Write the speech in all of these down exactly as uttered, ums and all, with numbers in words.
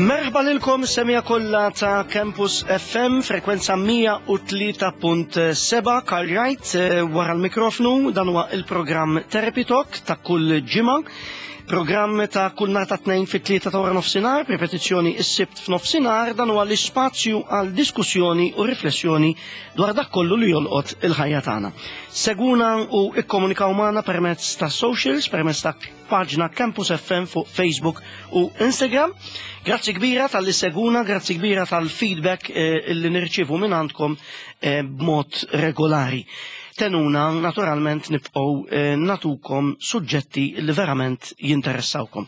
Merħba lilkom semmiegħa kollha ta' Campus F M, frekwenza mija u tlieta punt sebgħa, Karl Wright eh, wara l-mikrofnu. Dan huwa il-programm Therapy Talk ta' kull ġimgħa. Programm ta' kull nhar ta' Tnejn fit-tlieta ta' wara nofsinhar, ripetizzjoni is-Sibt f'nofsinhar. Dan huwa l-ispazju għal diskussjoni u riflessjoni dwar dak kollu li jolqot il-ħajja tagħna. Segwuna u ikkomunikaw magħna permezz ta' socials, permezz ta' paġna Campus F M fuq Facebook u Instagram. Grazzi kbira talli ssegwuna, grazzi kbira tal-feedback eh, illi nirċivu minn għandkom eh, b'mod regolari. Tgħinuna naturalment nibqgħu eh, nagħtukom suġġetti li verament jinteressawkom.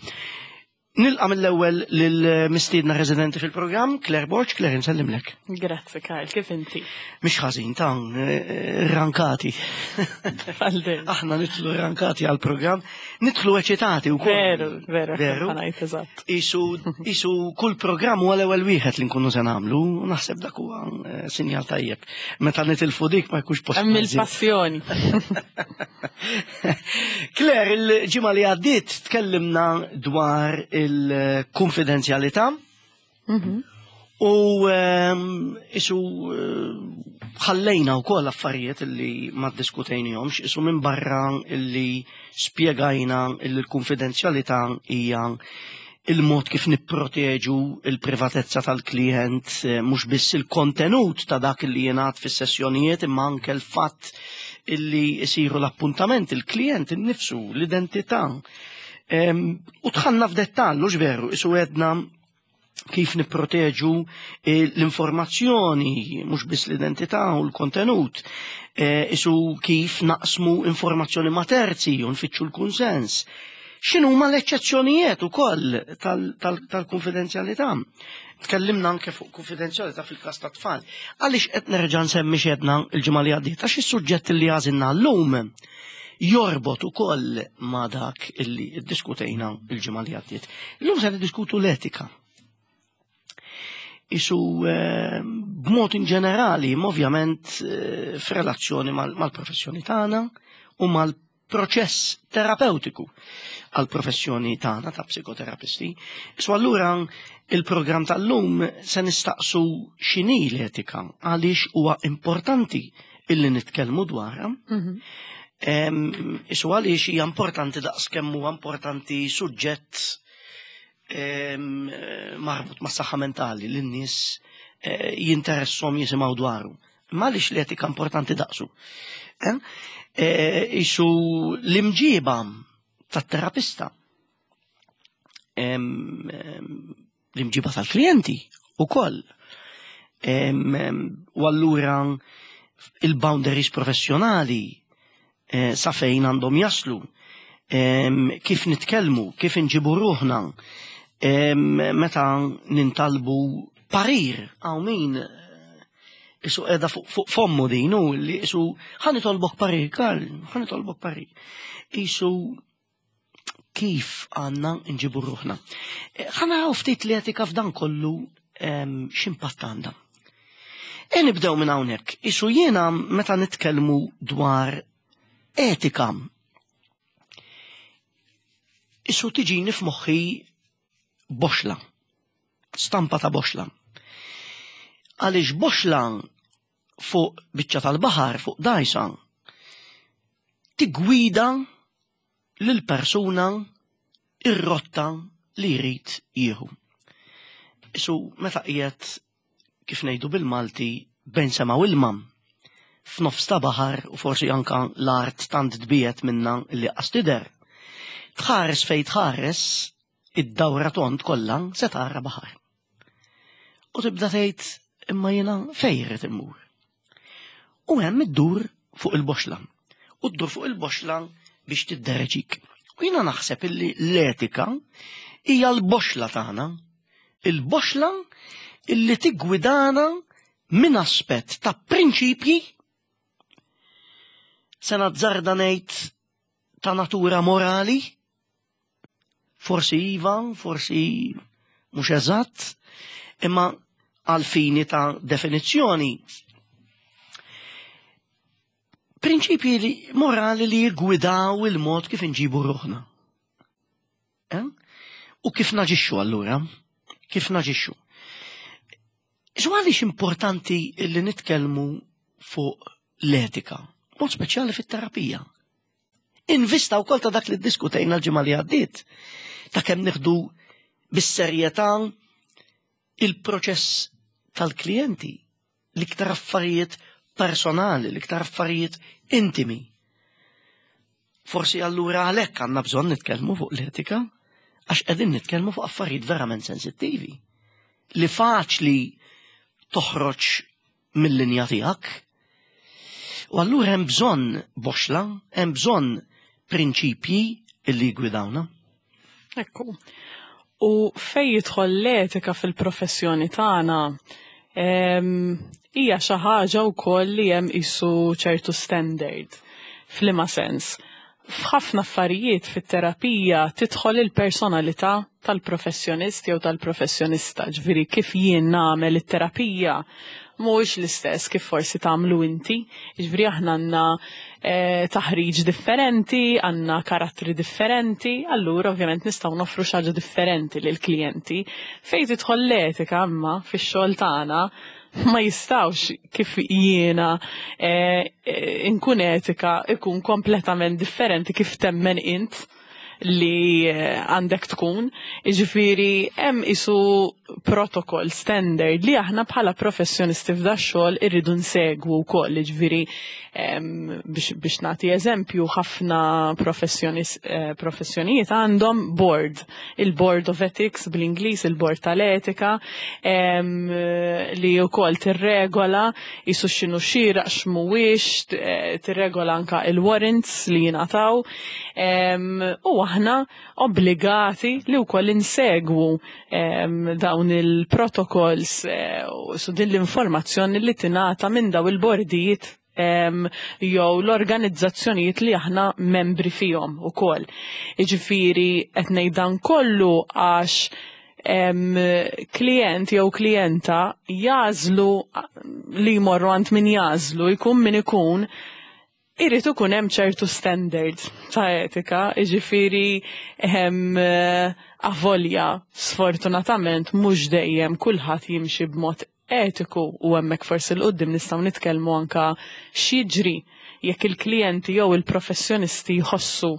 Nilqa' mill-ewwel lill-mistiedna residenti fil-programm, Claire Borg. Claire, nsellimlek. Grazzi, Karl, kif inti? Mhix ħażin ta' eh, rankati. Għaldin. Aħna nidħlu rankati għal-programm, nidħlu eċitati u Veru, veru, Veru. Ħa ngħid, eżatt. Isu, isu kull programm huwa l-ewwel wieħed li nkunu se nagħmlu, u naħseb dak huwa eh, sinjal tajjeb. Meta nitilfu dik ma jkunx post. Hemm il-passjoni. Claire, il-ġimgħa li għaddiet tkellimna dwar il-konfidenzjalità u ehm, isu eh, ħallejna wkoll affarijiet illi ma ddiskutejnihomx, isu minn barra illi spjegajna illi l-konfidenzjalità hija il-mod kif nipproteġu il-privatezza tal-klient, eh, mhux biss il-kontenut ta' dak li jingħad fis-sessjonijiet, imma anke l-fatt illi jsiru l-appuntament, il-klient innifsu, l-identità. Em, U dħalna f'dettall, hux veru, isu għedna kif nipproteġu eh, l-informazzjoni, mhux biss l-identità u l-kontenut, eh, isu kif naqsmu informazzjoni ma' terzi u nfittxu l-kunsens. X'inhuma l-eċċezzjonijiet ukoll tal-konfidenzjalità? Tkellimna anke fuq konfidenzjalità fil-każ ta' tfal. Għaliex qed nerġa' nsemmi x'għedna l-ġimgħa li għaddiet? Għax is-suġġett li għażilna llum jorbot ukoll ma' dak illi ddiskutejna il-ġimgħa li għaddiet. Illum se niddiskutu l-etika. Isu eh, b'mod in ġenerali, ma ovvjament eh, f'relazzjoni mal-professjoni tagħna u mal-proċess terapeutiku għal-professjoni tagħna ta' psikoterapisti. So allura il-programm tal-lum se nistaqsu x'inhi l-etika, għaliex huwa importanti illi nitkellmu dwarha. Em, Isu għaliex hija importanti daqs kemm huwa importanti suġġett em, marbut ma' saħħa mentali li n-nies eh, jinteressom jisimgħu dwaru. Ma għaliex l-etika importanti daqsu? Eh? Eh, Isu l-imġiba tat-terapista, em, em, l-imġiba tal-klijenti u koll. U allura il-boundaries professjonali eh, sa fejn għandhom jaslu, em, kif nitkellmu, kif inġibu ruħna, em, meta nintalbu parir, għaw min eh, isu edha fuq fuq fommu din, u li isu ħa nitolbok parir, Karl, ħa nitolbok parir. Isu kif għandna nġibu ruħna? Eh, Ħa naraw ftit l-etika f'dan kollu em, x'impatt għandha. E nibdew minn hawnhekk. Isu jiena meta nitkellmu dwar etika, isu tiġini f'moħħi boxla, stampa ta' boxla. Għaliex boxla fuq biċċa tal-baħar, fuq dajsa, tigwida lil-persuna ir-rotta li jrid jieħu. Isu meta qiegħed, kif ngħidu bil-Malti, bejn sema u ilma, f'nofs ta' baħar u forsi anka l-art tant tbiegħed minna li qas tidher. Tħares fej tħares id-dawra tond kollha se tara baħar. U tibda tgħid, imma jiena fejn irrid immur? U hemm iddur fuq il-boxla. U ddur fuq il-boxla biex tiddereġik. U jiena naħseb illi l-etika hija l-boxla tagħna. Il-boxla illi tiggwidana minn aspett ta' prinċipji, se nazzarda ngħid ta' natura morali, forsi iva, forsi mhux eżatt, imma għal fini ta' definizzjoni. Prinċipji li, morali li jgwidaw il-mod kif nġibu ruħna. Eh? U kif naġixxu allura? kif naġixxu. Isu għaliex importanti li nitkellmu fuq l-etika, mod speċjali fit-terapija? In vista wkoll ta' dak li ddiskutejna l-ġimgħa li għaddiet, ta' kemm nieħdu bis-serjetà il-proċess tal-klijenti, l-iktar affarijiet personali, l-iktar affarijiet intimi. Forsi allura għalhekk għandna bżonn nitkellmu fuq l-etika, għax qegħdin nitkellmu fuq affarijiet verament sensittivi li faċli toħroġ mill-linja tiegħek. U allura hemm bżonn boxla, hemm bżonn prinċipji illi jgwidawna. Ekku. U fej jidħol l-etika fil-professjoni tagħna, em, hija xi ħaġa wkoll li hemm isu ċertu standard. F'liema sens? F'ħafna affarijiet fit-terapija tidħol il-personalità tal-professjonist jew tal-professjonista, ġifieri kif jien nagħmel it-terapija mhuwiex l-istess kif forsi tagħmlu inti. Ġifieri aħna għandna eh, taħriġ differenti, għandna karattri differenti, allura ovvjament nistgħu noffru xi ħaġa differenti lill-klijenti. Fejn tidħol l-etika imma fix-xogħol tagħna ma jistawx kif jiena eh, eh, inkun etika ikun kompletament differenti kif temmen int li eh, għandek tkun. Ġifieri, hemm isu protocol standard li aħna bħala professjonisti f'da xogħol irridu nsegwu wkoll. Ġifieri, em, biex, biex nagħti eżempju, ħafna professjonis- eh, professjonijiet għandhom board, il-Board of Ethics bl-Ingliż, il-Board tal-Etika, em, li wkoll tirregola isu x'inhu xieraq x'mhuwiex, eh, tirregola anka il-warrants li jingħataw. Em, u aħna obbligati li wkoll insegwu em, dawn il-protocols eh, u su din l-informazzjoni li tingħata minn daw il-bordijiet em, jew l-organizzazzjonijiet li aħna membri fihom ukoll. Jiġifieri qed ngħid dan kollu għax em, klient jew klijenta jażlu li jmorru għand min jażlu, jkun min ikun, irid ikun hemm ċertu standard ta' etika, jiġifieri hemm avolja sfortunatament mhux dejjem kulħadd jimxi b'mod etiku, u hemmhekk forsi 'l quddiem nistgħu nitkellmu anka x'jiġri jekk il-klijenti jew il-professjonisti jħossu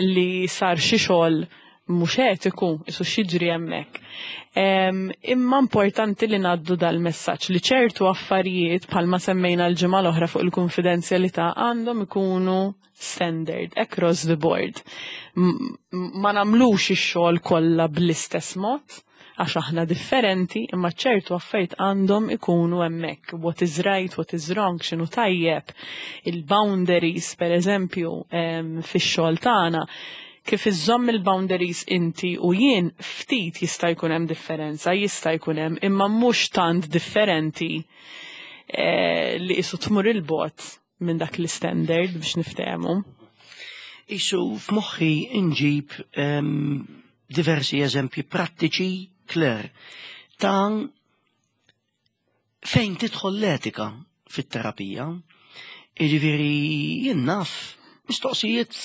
li sar xi xogħol mhux etiku, isu x'jiġri hemmhekk. Em, Imma importanti li ngħaddu dal-messaġġ li ċertu affarijiet, bħalma semmejna l-ġimgħa l-oħra fuq il-konfidenzjalità, għandhom ikunu standard across the board. M- Ma nagħmlux ix-xogħol kollha bl-istess mod, għax aħna differenti, imma ċertu affarijiet għandhom ikunu hemmhekk. What is right, what is wrong, x'inhu tajjeb, il-boundaries, per eżempju, em, fix-xogħol tagħna, kif iżżomm il-boundaries inti u jien, ftit jista' jkun hemm differenza, jista' jkun hemm, imma mhux tant differenti eh, li isu tmur il-bogħod minn dak l-standard, biex niftehmu. Isu f'moħħi inġib em, diversi eżempji prattiċi, Claire, ta' fejn tidħol l-etika fit-terapija. Jiġifieri jien naf mistoqsijiet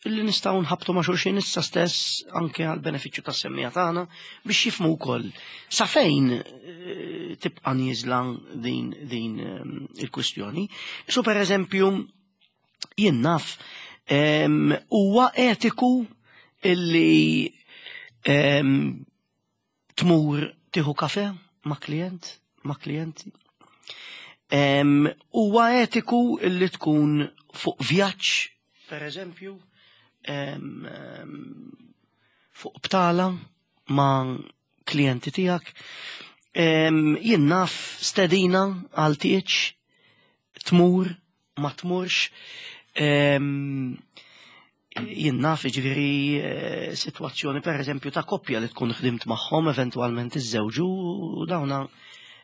li nistgħu nħabtu ma' xulxin issa stess, anke għal benefiċċju tas-semmiegħa tagħna, biex jifhmu wkoll sa fejn eh, tibqa' nieżla din din eh, il-kwistjoni. So per eżempju, jien naf em, huwa etiku illi em, tmur tieħu kafe ma' klient, ma' klijenti? Em, Huwa etiku illi tkun fuq vjaġġ, per eżempju, em, em, fuq btala ma' klijenti tiegħek? Em, Jien naf stedina għal tieġ, tmur, ma tmurx. Em, Jien naf, ġifieri, eh, situazzjoni per eżempju ta' koppja li tkun ħdimt magħhom, eventualment iżżewġu, u dawna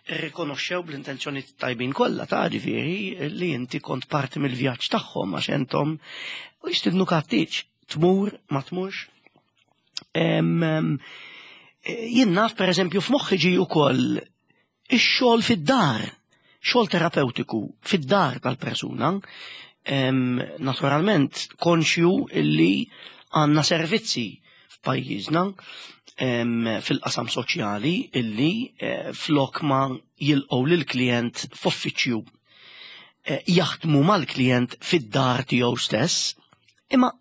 rrikonoxxew bl-intenzjoni tajbin kollha ta' ġifieri li inti kont parti mill-vjaġġ tagħhom għax entom, u jistidnuk għat-tieġ, tmur, ma tmurx. Em, em, Jien naf, per eżempju, f'moħħi ġi wkoll ix-xogħol fid-dar, xogħol terapeutiku fid-dar tal-persuna, em, naturalment konxju illi għandna servizzi f'pajjiżna fil-qasam soċjali illi eh, flok ma jilqgħu lill-klient f'uffiċċju eh, jaħdmu mal-klient fid-dar tiegħu stess, imma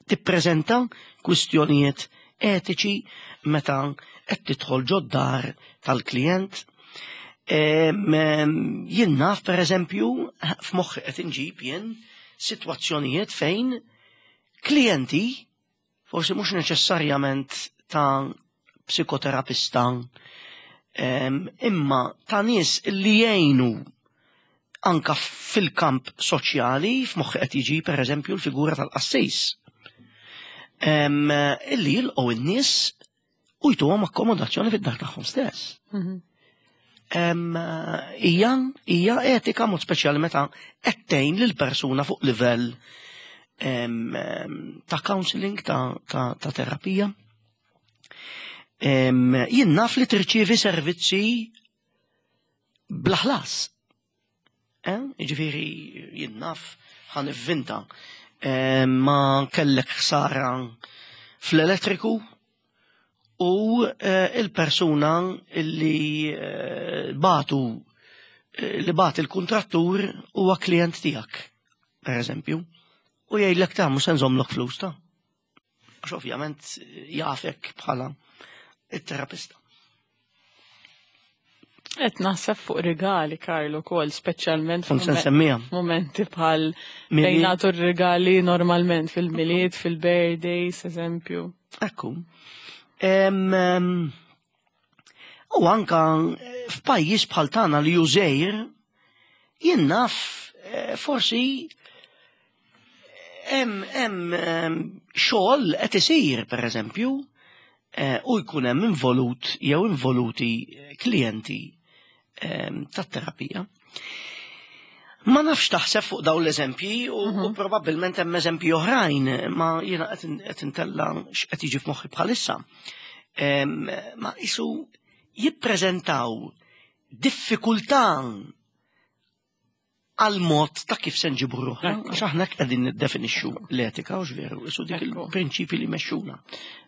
tippreżenta kwistjonijiet etiċi meta qed tidħol ġod-dar tal-klient. Jien naf, per eżempju, f'moħħi qed inġib jien sitwazzjonijiet fejn klijenti, forsi mhux neċessarjament ta' psikoterapista, imma ta' nies li jgħinu anka fil-kamp soċjali, f'moħħi qed jiġi per eżempju l-figura tal-qassis, illi jilqgħu in-nies u jtuhom akkomodazzjoni fid-dar tagħhom stess. Mhm. Hija hija etika, mod speċjali meta qed tgħin lil persuna fuq livell ta' counseling, ta', ta, ta terapija. Jien naf li tirċievi servizzi bla ħlas. Eh? Ġifieri jien naf, ħa nivvinta, ma kellek ħsara fl-elettriku u eh, il-persuna li eh, batu eh, li bat il-kontrattur huwa klient tiegħek, per eżempju, u jgħidlek: "Ta' mhux se nżommlok flus ta'." Għax ovvjament jafek bħala it-terapista. Qed naħseb fuq rigali, Karlo, kol, speċjalment f'momenti bħal fejn nagħtu rigali normalment fil-Milied, fil-birthdays, eżempju. Ekku. U anka f'pajjiż bħal tagħna li jużejr, jien naf eh, forsi hemm hemm xogħol qed isir, pereżempju, eh, u jkun hemm involut jew involuti klijenti tat-terapija. Ma nafx taħseb fuq dawn l-eżempji u, mm -hmm. u probabbilment hemm eżempji oħrajn, ma jiena qed intella x'qed jiġi f'moħħi bħalissa. Ma isu jippreżentaw diffikultà għal mod ta' kif se nġibu ruħna, għax aħna qegħdin niddefinixxu l-etika, u veru, isu dik il-prinċipi li mexxuna.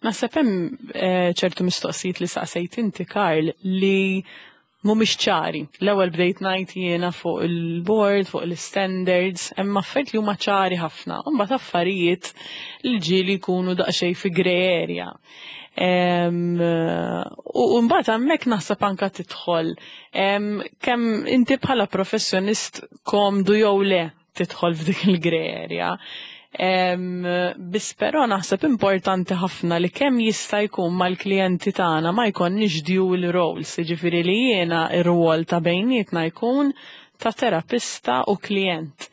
Naħseb hemm eh, ċertu mistoqsijiet li saqsejt inti, Karl, li mhumiex ċari. L-ewwel bdejt ngħid jiena fuq il-board, fuq il-standards, hemm affarijiet li huma ċari ħafna, u mbagħad affarijiet li ġieli jkunu daqsxejn fi grey area. U mbagħad hemmhekk naħseb anka tidħol kemm inti bħala professjonist komdu jew le tidħol f'dik il-grey area. Biss però naħseb importanti ħafna li kemm jista' jkun mal-klijenti tagħna ma jkollniex dual roles, jiġifieri li jiena ir-rwol ta' bejnietna jkun ta' terapista u klient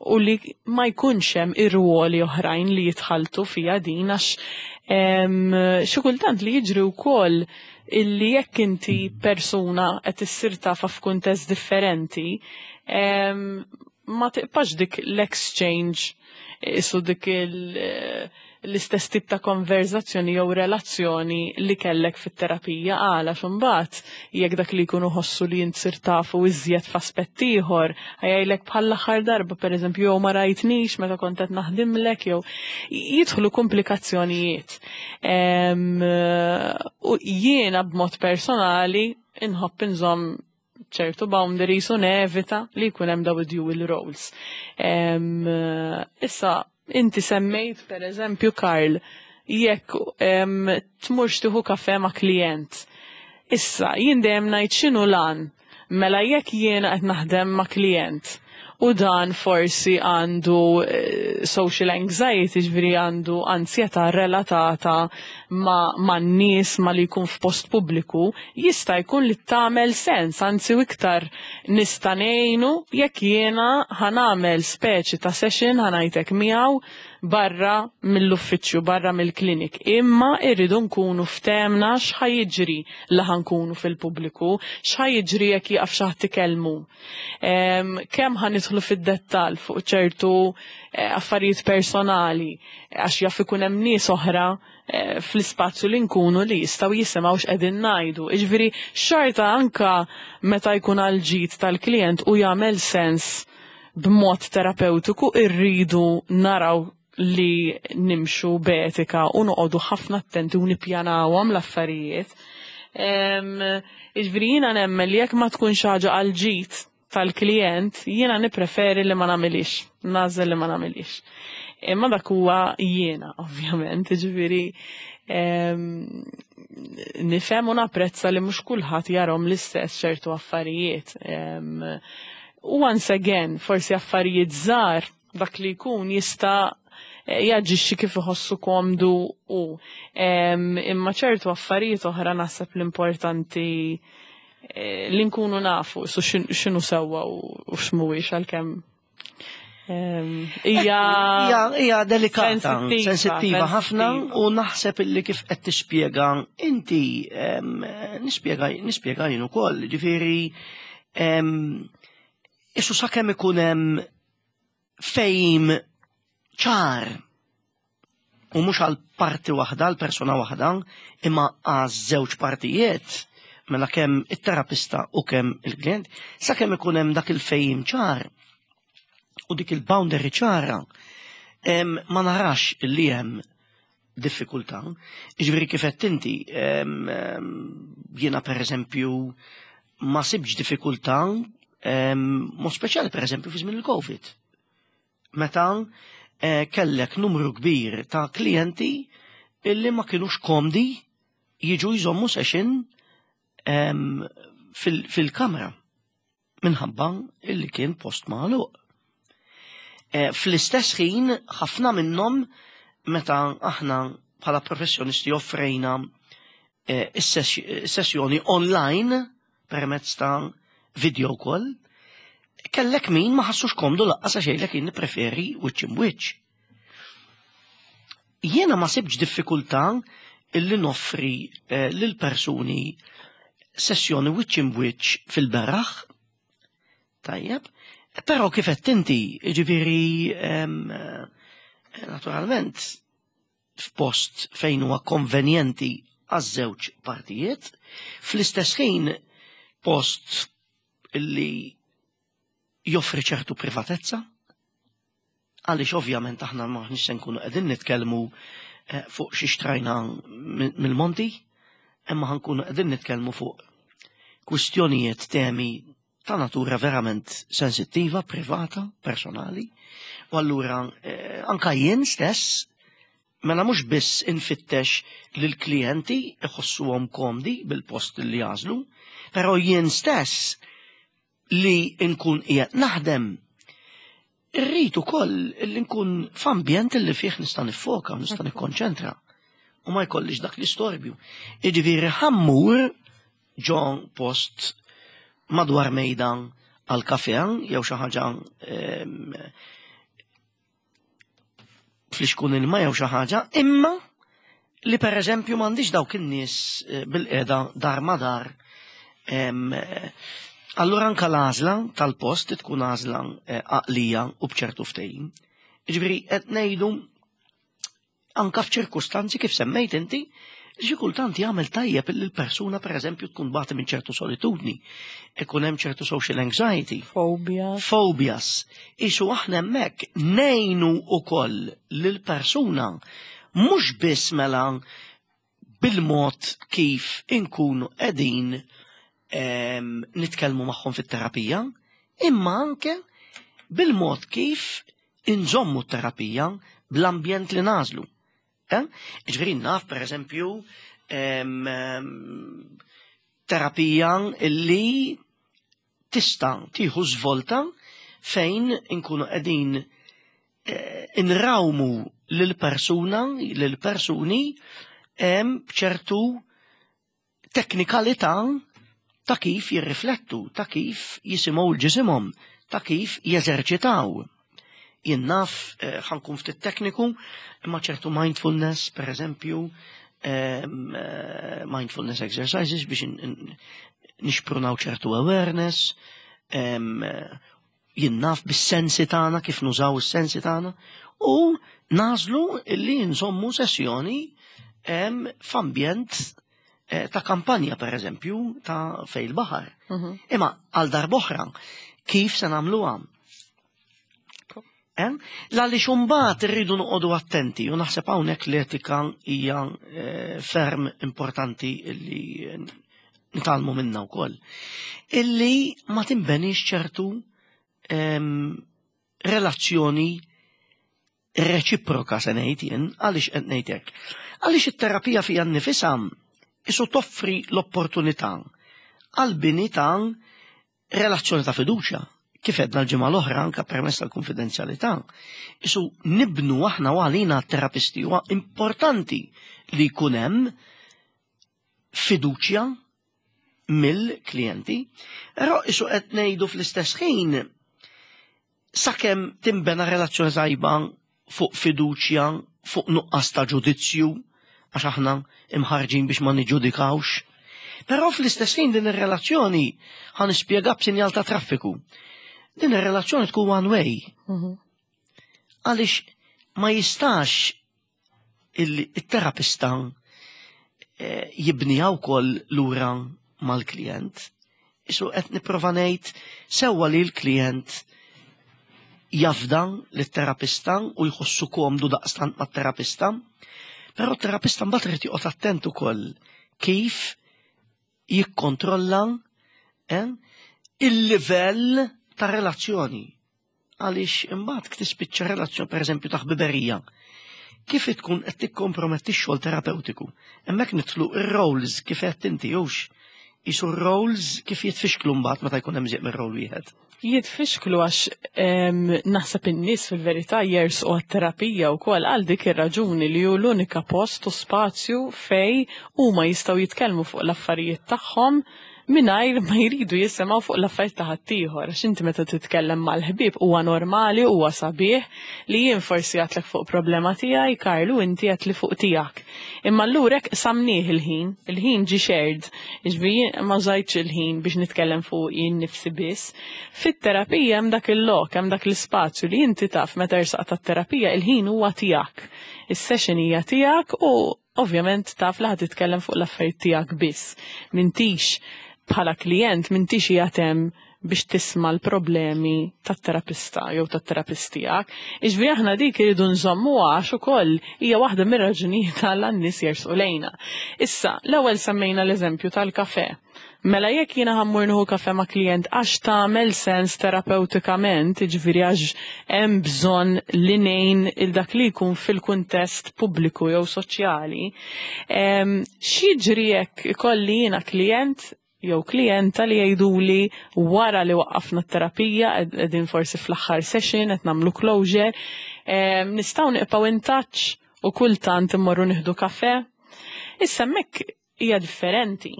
u li ma jkunx hemm ir-ruoli oħrajn li jitħaltu fija din, għax xi kultant li jiġri wkoll illi jekk inti persuna qed issir tafa f'kuntest differenti, ma tiqpax dik l-exchange, isu dik l-istess tip ta' konverzazzjoni jew relazzjoni li kellek fit-terapija, għala xumbat jekk dak li jkunu ħossu li int sir tafu iżjed f'aspett ieħor, ħajjajlek bħall-aħħar darba, pereżempju, jew ma rajtnix meta kont qed naħdimlek, jew jidħlu komplikazzjonijiet. U jiena b'mod personali inħobb inżomm ċertu boundaries u nevita li jkun hemm daw dual roles. Issa, inti semmejt, per eżempju, Karl, jekk tmurx tieħu kafe ma' klient. Issa, jien dejjem ngħid x'inhu lan. Mela jekk jiena qed naħdem ma' klient u dan forsi għandu eh, social anxiety, ġifieri għandu ansjetà relatata ma', ma nies, ma li jkun f'post pubbliku, jista' jkun li tagħmel sens, anzi u iktar nista' ngħinu jekk jiena ħa nagħmel speċi ta' session, ħa ngħidlek, miegħu barra mill-uffiċċju, barra mill-klinik. Imma irridu nkunu ftemna x'ħa jiġri la ħa nkunu fil-pubbliku, x'ħa jiġri jekk jaqaf xi ħadd ikellmu. Kemm ħa nidħlu fid-dettall fuq ċertu eh, affarijiet personali, għax jaf ikun hemm nies oħra eh, fl-ispazju li nkunu li jistgħu jisimgħu x'qegħdin ngħidu. Jiġifieri xorta anka meta jkun għal ġid tal-klient u jagħmel sens b'mod terapeutiku, irridu naraw li nimxu b'etika u noqogħdu ħafna attenti u nippjanawhom l-affarijiet. Jiġifieri jiena nemmen li jekk ma tkunx ħaġa għal ġid tal-klient, jiena nippreferi li ma nagħmilix, nagħżel li ma nagħmilix. Imma dak huwa jiena, ovvjament, jiġifieri nifhem u napprezza li mhux kulħadd jarahom l-istess ċertu affarijiet. U once again, forsi affarijiet żgħar dak li jkun jista' jaġixxi kif iħossu komdu u imma ċertu affarijiet oħra naħseb l-importanti eh, li nkunu nafu su x'inhu sewwa u x'mhuwiex, għalkemm hija hija delikata, sensittiva ħafna, u naħseb illi kif qed tispjega inti nispjega nispjega jien ukoll, ġifieri issu sakemm ikun hemm fejm ċar u mhux għal parti waħda, għal persuna waħda, imma għaż żewġ partijiet, mela kemm it-terapista u kemm il-klient, sakemm ikun hemm dak il-fejm ċar u dik il-boundary ċara, ma narax li hemm diffikultà. Ġifieri kif qed inti, jiena per eżempju ma sibx diffikultà, mod speċjali per eżempju fi żmien il-Covid. Meta eh, kellek numru kbir ta' klijenti illi ma kienux komdi jiġu jżommu session fil-kamra minħabba illi kien post magħluq. Eh, fl-istess ħin, ħafna minnhom, meta aħna bħala professjonisti offrejna eh, is-sessjoni online permezz ta' video call, kellek min ma ħassux komdu lanqas għax jgħidlek jien nippreferi wiċċ imwiċċ. Jiena ma sibx diffikultà illi noffri eh, lil persuni sessjoni wiċċ imwiċċ fil-beraħ. Tajjeb, però kif qed inti, ġifieri eh, naturalment f'post fejn huwa konvenjenti għaż-żewġ partijiet, fl-istess ħin post illi joffri ċertu privatezza, għaliex ovvjament aħna maħniex se nkunu qegħdin nitkellmu eh, fuq xi xtrajna mill-monti, imma ħa nkunu qegħdin nitkellmu fuq kwistjonijiet, temi ta' natura verament sensittiva, privata, personali. U allura eh, anka jien stess, mela mhux biss infittex li l-klijenti iħossuhom komdi bil-post li jagħżlu, però jien stess li nkun qiegħed naħdem irrid ukoll li nkun f'ambjent li fih nista' niffoka, nista' nikkonċentra u ma jkollix dak l-istorbju. Jiġifieri ħa mmur ġo post madwar mejda għal kafe jew xi ħaġa, em, flixkun ilma jew xi ħaġa, imma li per eżempju m'għandix dawk in-nies eh, bil-qiegħda dar ma dar. Em, eh, Allura anka l-għażla tal-post tkun għażla eh, għaqlija u b'ċertu ftehim. Ġifieri qed ngħidu anka f'ċirkustanzi kif semmejt inti, xi kultant jagħmel tajjeb illi l-persuna pereżempju tkun tbati minn ċertu solitudni, ikun hemm ċertu social anxiety, Phobia. Phobias. Isu aħna hemmhekk ngħinu ukoll lill-persuna mhux biss mela bil-mod kif inkunu qegħdin em, nitkellmu magħhom fit-terapija, imma anke bil-mod kif inżommu t-terapija, bl-ambjent li nagħżlu. Eh? Ġifieri naf, per eżempju, em, em, terapija illi tista' tieħu żvolta fejn inkunu qegħdin eh, inrawmu lil-persuna, lil-persuni em, b'ċertu teknikalità ta' kif jirriflettu, ta' kif jisimgħu l-ġisimhom, ta' kif jeżerċitaw. Jien naf, eh, ħa nkun ftit tekniku, imma ċertu mindfulness, per eżempju, em, eh, mindfulness exercises biex in- in- nixprunaw ċertu awareness, em, eh, jien naf bis-sensi tagħna, kif nużaw is-sensi tagħna, u nagħżlu illi nżommu sessjoni em, f'ambjent eh, ta' kampanja, per eżempju, ta' fejn il-baħar. Mhm. Imma għal darb'oħra, kif se nagħmluha? Eh? Għaliex imbagħad irridu noqogħdu attenti u naħseb hawnhekk l-etika hija eh, ferm importanti illi nitgħallmu minna wkoll. Illi ma tinbenix ċertu em, relazzjoni reċiproka, se ngħid jien. Għaliex qed ngħid hekk? Għaliex it-terapija fija nnifisha isu toffri l-opportunità għal-bini ta' relazzjoni ta' fiduċja. Kif għedna l-ġimgħa l-oħra anka permezz tal-konfidenzjalità. Isu nibnu aħna u għalina terapisti huwa importanti li jkun hemm fiduċja mill-klijenti, però isu qed ngħidu fl-istess ħin sakemm timbena relazzjoni tajba fuq fiduċja, fuq nuqqas ta' ġudizzju, għax aħna imħarġin biex ma niġġudikawx. Però fl-istess ħin din ir-relazzjoni, ħa nispjega b'sinjal ta' traffiku. Din ir-relazzjoni tkun one way. Għaliex ma jistax il-terapista eh, jibniha wkoll lura mal-klient. Isu qed nipprova ngħid sewwa li l-klient jafda lit-terapista u jħossu komdu daqstant mat-terapista, però t-terapista mbagħad irid joqgħod attent ukoll kif jikkontrolla eh, il-livell ta' relazzjoni. Għaliex imbagħad tispiċċa relazzjoni, pereżempju, ta' ħbiberija. Kif tkun qed tikkomprometti x-xogħol terapeutiku? Hemmhekk nidħlu ir-roles, kif qed inti hux. Isu roles kif jitfixklu mbagħad meta jkun hemm żiq mir-role wieħed? Jitfixklu għax naħseb in-nies fil-verità jersqu għat-terapija wkoll għal dik ir-raġuni li hu l-unika post u spazju fej huma jistgħu jitkellmu fuq l-affarijiet tagħhom mingħajr ma jridu jisimgħu fuq l-affarijiet ta' ħaddieħor. Għax inti meta titkellem mal-ħbieb huwa normali, huwa sabiħ li jien forsi għedtlek fuq problema tiegħi, Karlu, inti għedtli fuq tiegħek. Imma allura hekk qsamnieh il-ħin, il-ħin ġi shared, jiġifieri ma użajtx il-ħin biex nitkellem fuq jien nifsi biss. Fit-terapija hemm dak il-lok, hemm dak l-ispazju li inti taf meta ersaq tat-terapija il-ħin huwa tiegħek. Is-session hija tiegħek u ovvjament taf li ħa titkellem fuq l-affarijiet tiegħek biss. M'intix bħala klient, m'intix qiegħed biex tisma' l-problemi tat-terapista jew tat-terapist tiegħek. Iġifieri aħna dik iridu nżommu għax ukoll hija waħda mir-raġunijiet għal n-nies jersqu lejna. Issa, l-ewwel semmejna l-eżempju tal-kafe. Mela jekk jiena ħa mmur nieħu kafe ma' klient għax tagħmel sens terapeutikament, jiġifieri għax hemm bżonn li ngħin il dak li jkun fil-kuntest pubbliku jew soċjali, x'jiġri jekk ikolli jiena klient jew klienta li jgħiduli wara li waqqafna t-terapija, qegħdin forsi fl-aħħar session, qed nagħmlu closure, nistgħu nibqgħu in touch u kultant immorru nieħdu kafe? Issa hemmhekk hija differenti.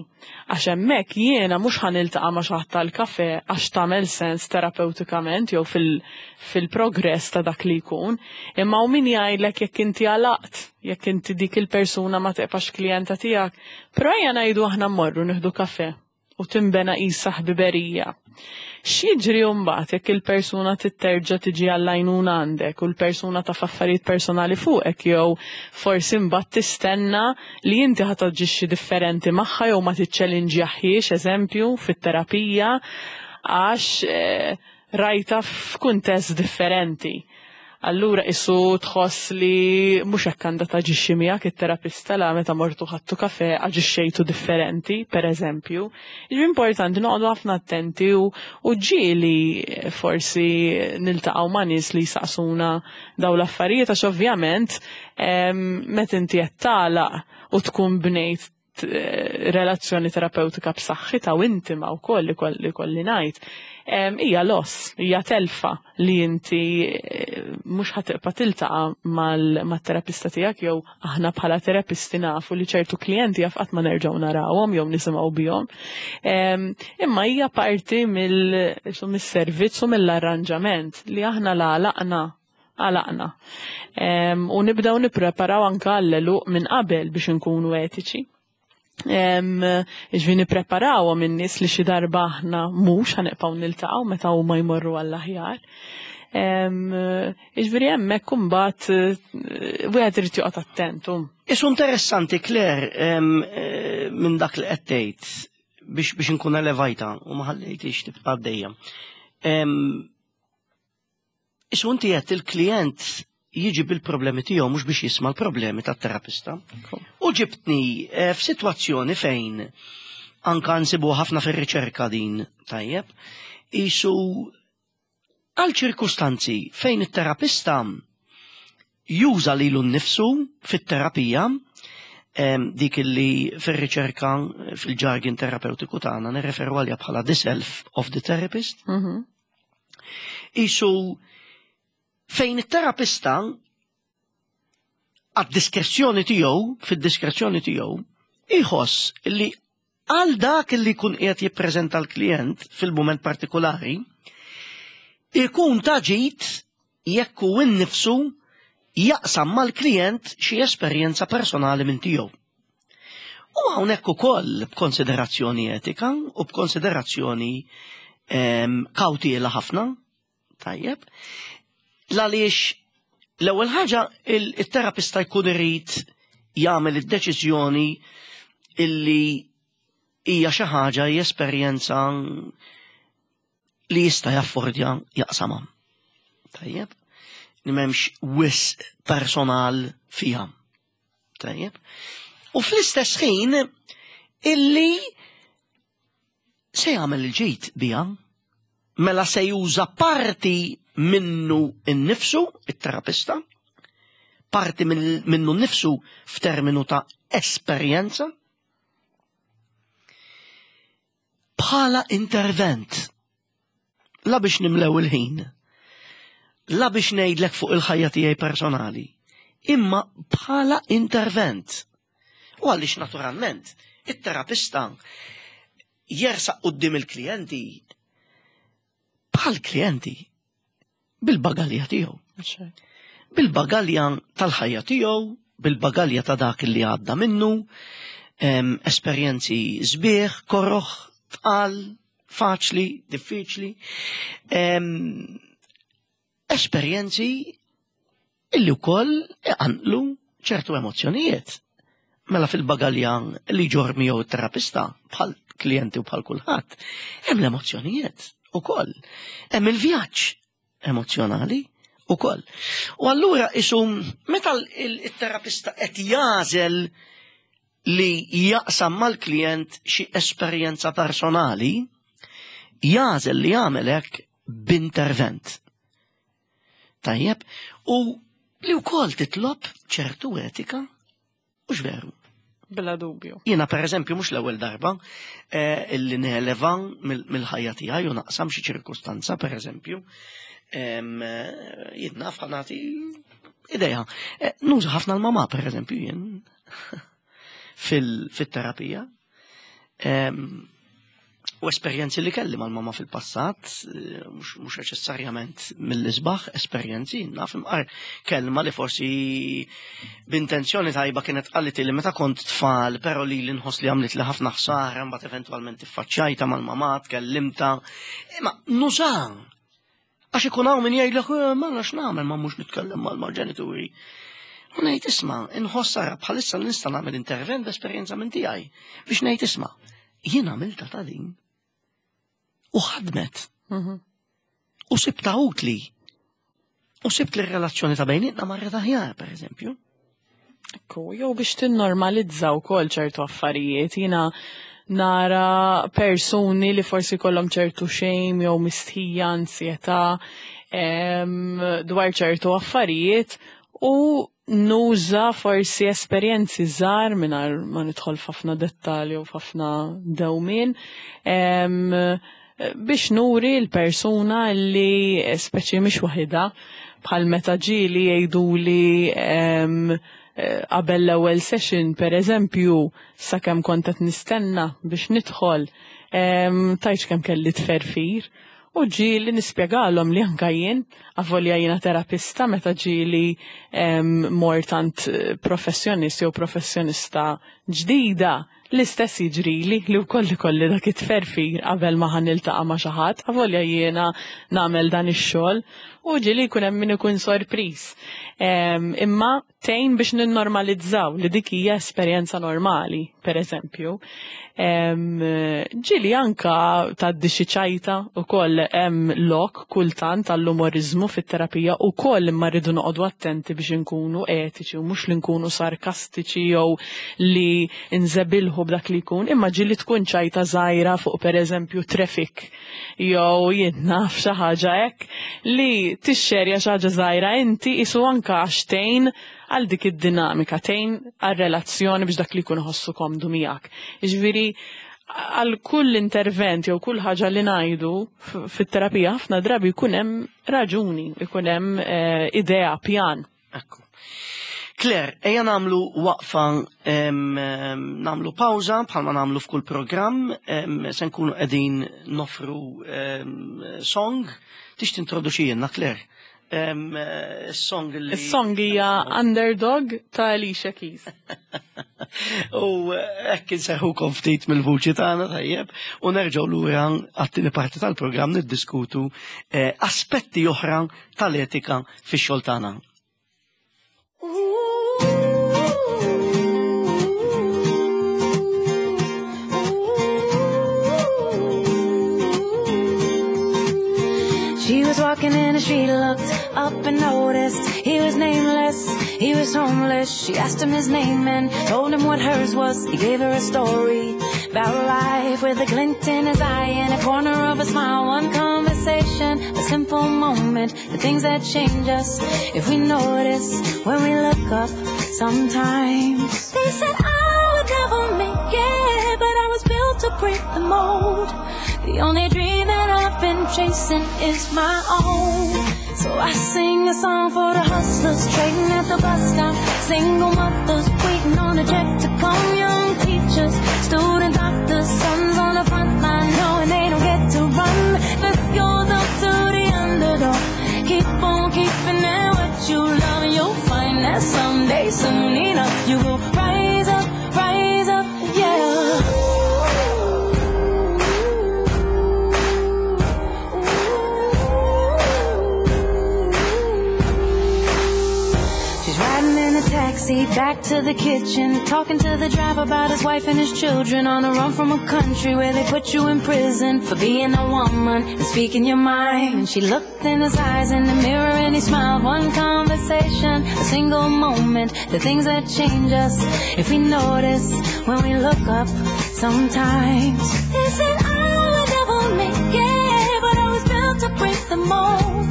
Għax hemmhekk jiena mhux ħa niltaqa' ma' xi ħadd tal-kafe għax tagħmel sens terapeutikament jew fil-progress ta' dak li jkun, imma u min jgħidlek jekk inti għalaqt, jekk inti dik il-persuna ma tibqax klijenta tiegħek. Però ejja ngħidu aħna mmorru nieħdu kafe u timbena qisha ħbiberija. X'jiġri mbagħad jekk il-persuna titterġa' tiġi għall-għajnuna għandek u l-persuna taf affarijiet personali fuqek jew forsi mbagħad tistenna li inti ħa taġixxi differenti magħha jew ma tiċċellinġjahiex, eżempju, fit-terapija għax eh, rajta f'kuntest differenti? Allura isu tħoss li mhux hekk għandha taġixxi miegħek it-terapista la meta mortu ħadtu kafe aġixxejtu differenti, per eżempju. Jiġifieri importanti noqogħdu ħafna attenti u, u ġieli forsi niltaqgħu ma' nies li jsaqsuna daw l-affarijiet għax ovvjament meta inti qed tagħlaq u tkun bnejt relazzjoni terapeutika b'saħħitha u intima wkoll li kolli ngħid, hija loss, hija telfa li inti eh, mhux ħa tibqa' tiltaqa' mal-terapista tiegħek jew aħna bħala terapisti nafu li ċertu klijenti jaf qatt ma nerġgħu narawhom jew nisimgħu bihom. Imma hija parti mill-servizz u mill-arranġament li aħna la għalaqna għalaqna. U nibdew nippreparaw anke għall minn qabel biex inkunu etiċi. Ġifieri nippreparaw minn nies li xi darba aħna mhux ħa nibqgħu niltaqgħu meta huma jmorru għall-aħjar. Ġifieri hemmhekk imbagħad eh, wieħed irid joqgħod attentu. Isu interessanti, Claire, eh, minn dak li qed tgħid biex biex inkun elevajta u ma ħallejtix tibqa' għaddejja. Isu inti qed il-klient jiġi bil-problemi tiegħu mhux biex jisma' l-problemi tat-terapista. U ġibtni eh, f'sitwazzjoni fejn anka nsibu ħafna fir-riċerka din, tajjeb, isu għal ċirkustanzi fejn it-terapista juża lilu nnifsu fit-terapija, em, dik li fir-riċerka fil-jargon terapeutiku tagħna nirreferu għalija bħala the self of the therapist, Mhm. isu fejn it-terapista għad-diskrezzjoni tiegħu, fid-diskrezzjoni tiegħu, iħoss li għal dak li jkun qiegħed jippreżenta l-klient fil-mument partikolari, ikun ta' ġid jekk hu innifsu jaqsam mal-klient xi esperjenza personali minn tiegħu. U hawnhekk ukoll b'konsiderazzjoni etika u b'konsiderazzjoni em, kawtiela ħafna, tajjeb, għaliex l-ewwel ħaġa il- il-terapista jkun irid jagħmel id-deċiżjoni illi hija xi ħaġa, hija esperjenza li jista' jaffordja jaqsamha. Tajjeb, li m'hemmx wisq personal fiha. Tajjeb. U fl-istess ħin illi se jagħmel il-ġid biha, mela se juża parti minnu innifsu, it-terapista, parti min- minnu nnifsu f'terminu ta' esperjenza, bħala intervent. La biex nimlew il-ħin, la biex ngħidlek fuq il-ħajja tiegħi personali, imma bħala intervent. U għaliex naturalment, it-terapista jersaq quddiem il-klijenti bħal klijenti bil-bagalja tiegħu, bil-bagalja tal-ħajja tiegħu, bil-bagalja ta' dak li għadda minnu, em, esperjenzi sbieħ, koroħ, tqal, faċli, diffiċli, em, esperjenzi illi wkoll iqanqlu ċertu emozzjonijiet. Mela fil-bagalja li ġorr miegħu t-terapista bħal klijenti u bħal kulħadd, hemm l-emozzjonijiet ukoll. Hemm il-vjaġġ emozjonali ukoll. U allura isu meta il-terapista qed jagħżel li jaqsam mal-klient xi esperjenza personali, jagħżel li jagħmel hekk b'intervent. Tajjeb, u li wkoll titlob ċertu etika, mhux veru? Bla dubju. Jiena per eżempju mhux l-ewwel darba eh, illi neleva mill-ħajja tiegħi u naqsam xi ċirkustanza, per eżempju, em, eh, jien naf, ħa nagħti idea. Eh, Nuża ħafna l-mama, per eżempju, jien fil-terapija. Em, U esperjenzi li kelli mal-mama fil-passat, eh, mhux mhux neċessarjament mill-isbaħ esperjenzi, naf imqar kelma li forsi b'intenzjoni tajba kienet qalit li meta kont tfal, però li li nħoss li għamlet li ħafna ħsara, mbagħad eventwalment iffaċċajta mal-mama, tkellimta. Imma nuża. Għax ikun hawn min jgħidlek, "Eh, ma nafx nagħmel ma mhux nitkellem mal-ġenituri." U ngħid isma', inħoss ara bħalissa nista' nagħmel intervent b'esperjenza minn tiegħi biex ngħid isma', jien għamilta ta' din. U ħadmet. Mhm. U sibta utli. U sibt li r-relazzjoni ta' bejnietna marret aħjar, per eżempju. Ekku, jew biex tinnormalizza wkoll ċertu affarijiet, jiena nara persuni li forsi kollhom ċertu shame jew mistħija, ansjetà em, dwar ċertu affarijiet u nuża forsi esperjenzi żgħar mingħajr ma nidħol f'ħafna dettalji u f'ħafna dewmien em, biex nuri l-persuna li speċi mhix waħidha, bħal meta ġieli jgħiduli em, eh, qabel l-ewwel session, per eżempju, sakemm kont qed nistenna biex nidħol, em, tajx kemm kelli tferfir. U ġieli nispjegalhom li anka jien, avolja jiena terapista, meta ġieli em, mort għand eh, professjonist jew professjonista ġdida, l-istess jiġrili li wkoll ikolli dak it-tferfir qabel ma ħa niltaqa' ma' xi ħadd, avolja jiena nagħmel dan ix-xogħol. U ġieli jkun hemm min ikun sorpriż. Imma tgħin biex ninnormalizzaw li dik hija esperjenza normali, per eżempju. Ġieli anka tgħaddi xi ċajta ukoll, hemm lok kultant għall-umorizmu fit-terapija ukoll, imma rridu noqogħdu attenti biex inkunu etiċi u mhux li nkunu sarkastiċi jew li nżebilħu b'dak li jkun, imma ġieli tkun ċajta żgħira fuq, per eżempju, traffic jew jien naf xi ħaġa hekk, li tixxerja xi ħaġa żgħira inti isu anka għax tgħin għal dik id-dinamika, tgħin għal relazzjoni biex dak li jkun iħossu komdu miegħek. Jiġifieri għal kull intervent jew kull ħaġa li ngħidu fit-terapija ħafna drabi jkun hemm raġuni, jkun hemm eh, idea, pjan. Ekku. Claire, ejja nagħmlu waqfa, nagħmlu pawża bħalma nagħmlu f'kull programm, se nkunu qegħdin nofru song. Tix tintroduċi Claire? Song li. Is-song hija "Underdog" ta' Alicia Keys. U hekk inserrħukom ftit mill-vuċi tagħna, tajjeb, u nerġgħu lura għat-tieni parti tal-programm niddiskutu eh, aspetti oħra tal-etika fix-xogħol tagħna. She was walking in the street, looked up and noticed he was nameless, he was homeless. She asked him his name and told him what hers was. He gave her a story about life with a glint in his eye and a corner of a smile. One conversation, a simple moment, the things that change us if we notice when we look up sometimes. They said I would never make it, but I was built to break the mold. The only dream that I've been chasing is my own. So I sing a song for the hustlers trading at the bus stop, single mothers waiting on a check to come, young teachers, student doctors, sons on the front line knowing they don't get to run. This goes up to the underdog. Keep on keeping at what you love, you'll find that someday, soon enough, you will rise up, rise up, yeah. She's riding in a taxi back to the kitchen, talking to the driver about his wife and his children, on the run from a country where they put you in prison for being a woman and speaking your mind. And she looked in his eyes in the mirror and he smiled. One conversation, a single moment, the things that change us if we notice when we look up sometimes. They said I would never make it, but I was built to break the mold.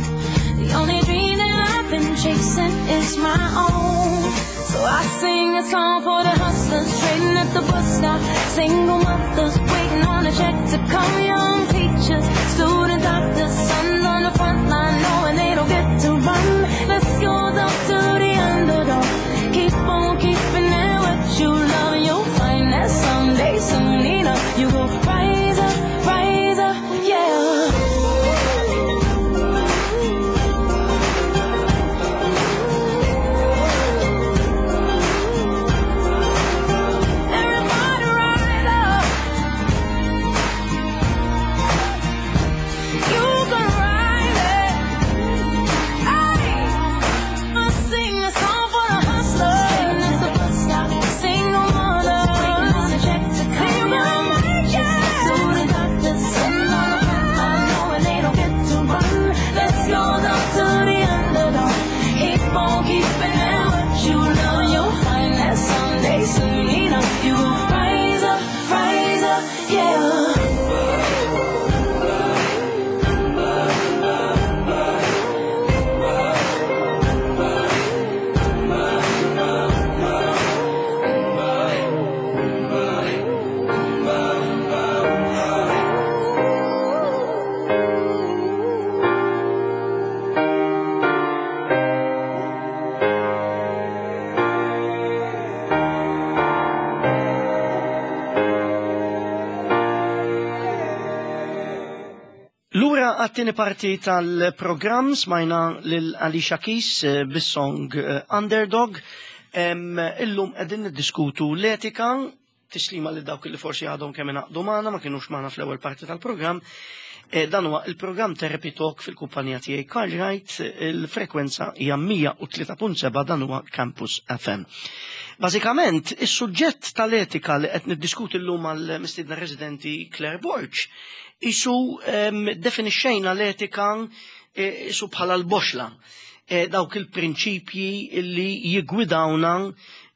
The only dream that I've been chasing is my own. So I sing a song for the hustlers trading at the bus stop, single mothers waiting on a check to come, young teachers, student doctors, sons on the front line knowing they don't get to run. This goes up to the underdog. Keep on keeping at what you love, you'll find that someday, soon enough, you will rise up, rise up, yeah. Everybody rise up. You can rise it. Hey, I sing a song for the hustlers. At the bus stop, single mothers waiting on a check to come. Student doctors sitting on the front line knowing they don't get to run. This goes up to the underdog. Keep on keeping at what you love. You'll find that someday, soon enough, you will rise up, rise up, yeah. Lura għat-tieni parti tal-programm, smajna lil Alicia Keys eh, bis-song eh, "Underdog". Em, Illum qegħdin niddiskutu l-etika, tislima li dawk li forsi għadhom kemm ingħaqdu magħna, ma kienux magħna fl-ewwel parti tal-programm. Eh, dan huwa il-programm Therapy Talk fil-kumpanija tiegħi Carl Wright, il-frekwenza hija mija u tlieta punt seba', dan huwa Campus F M. Bażikament, is-suġġett tal-etika li qed niddiskuti llum mal-mistiedna residenti Claire Borg, isu um, definixxejna l-etika eh, isu bħala l-boxla. Eh, dawk il-prinċipji li jigwidawna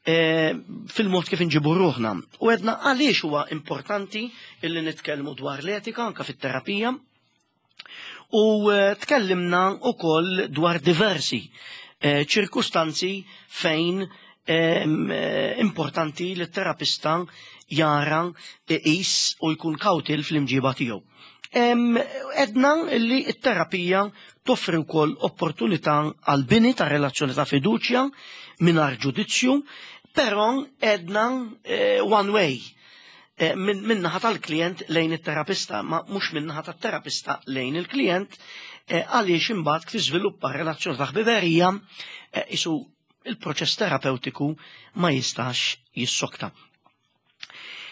eh, fil-mod kif inġibu ruħna. U għedna għaliex huwa importanti illi nitkellmu dwar l-etika anka fit-terapija. U eh, tkellimna ukoll dwar diversi eh, ċirkustanzi fejn em, eh, importanti li t-terapista jara, iqis u jkun kawtil fl-imġiba tiegħu. Em, Għedna li t-terapija toffri wkoll opportunità għal bini ta' relazzjoni ta' fiduċja mingħajr ġudizzju, però għedna eh, one way eh, min min-naħa tal-klient lejn it-terapista, ma mhux min-naħa tat-terapista lejn il-klient, eh, għaliex imbagħad kif tiżviluppa relazzjoni ta' ħbiberija eh, isu il-proċess terapeutiku ma jistax jissokta.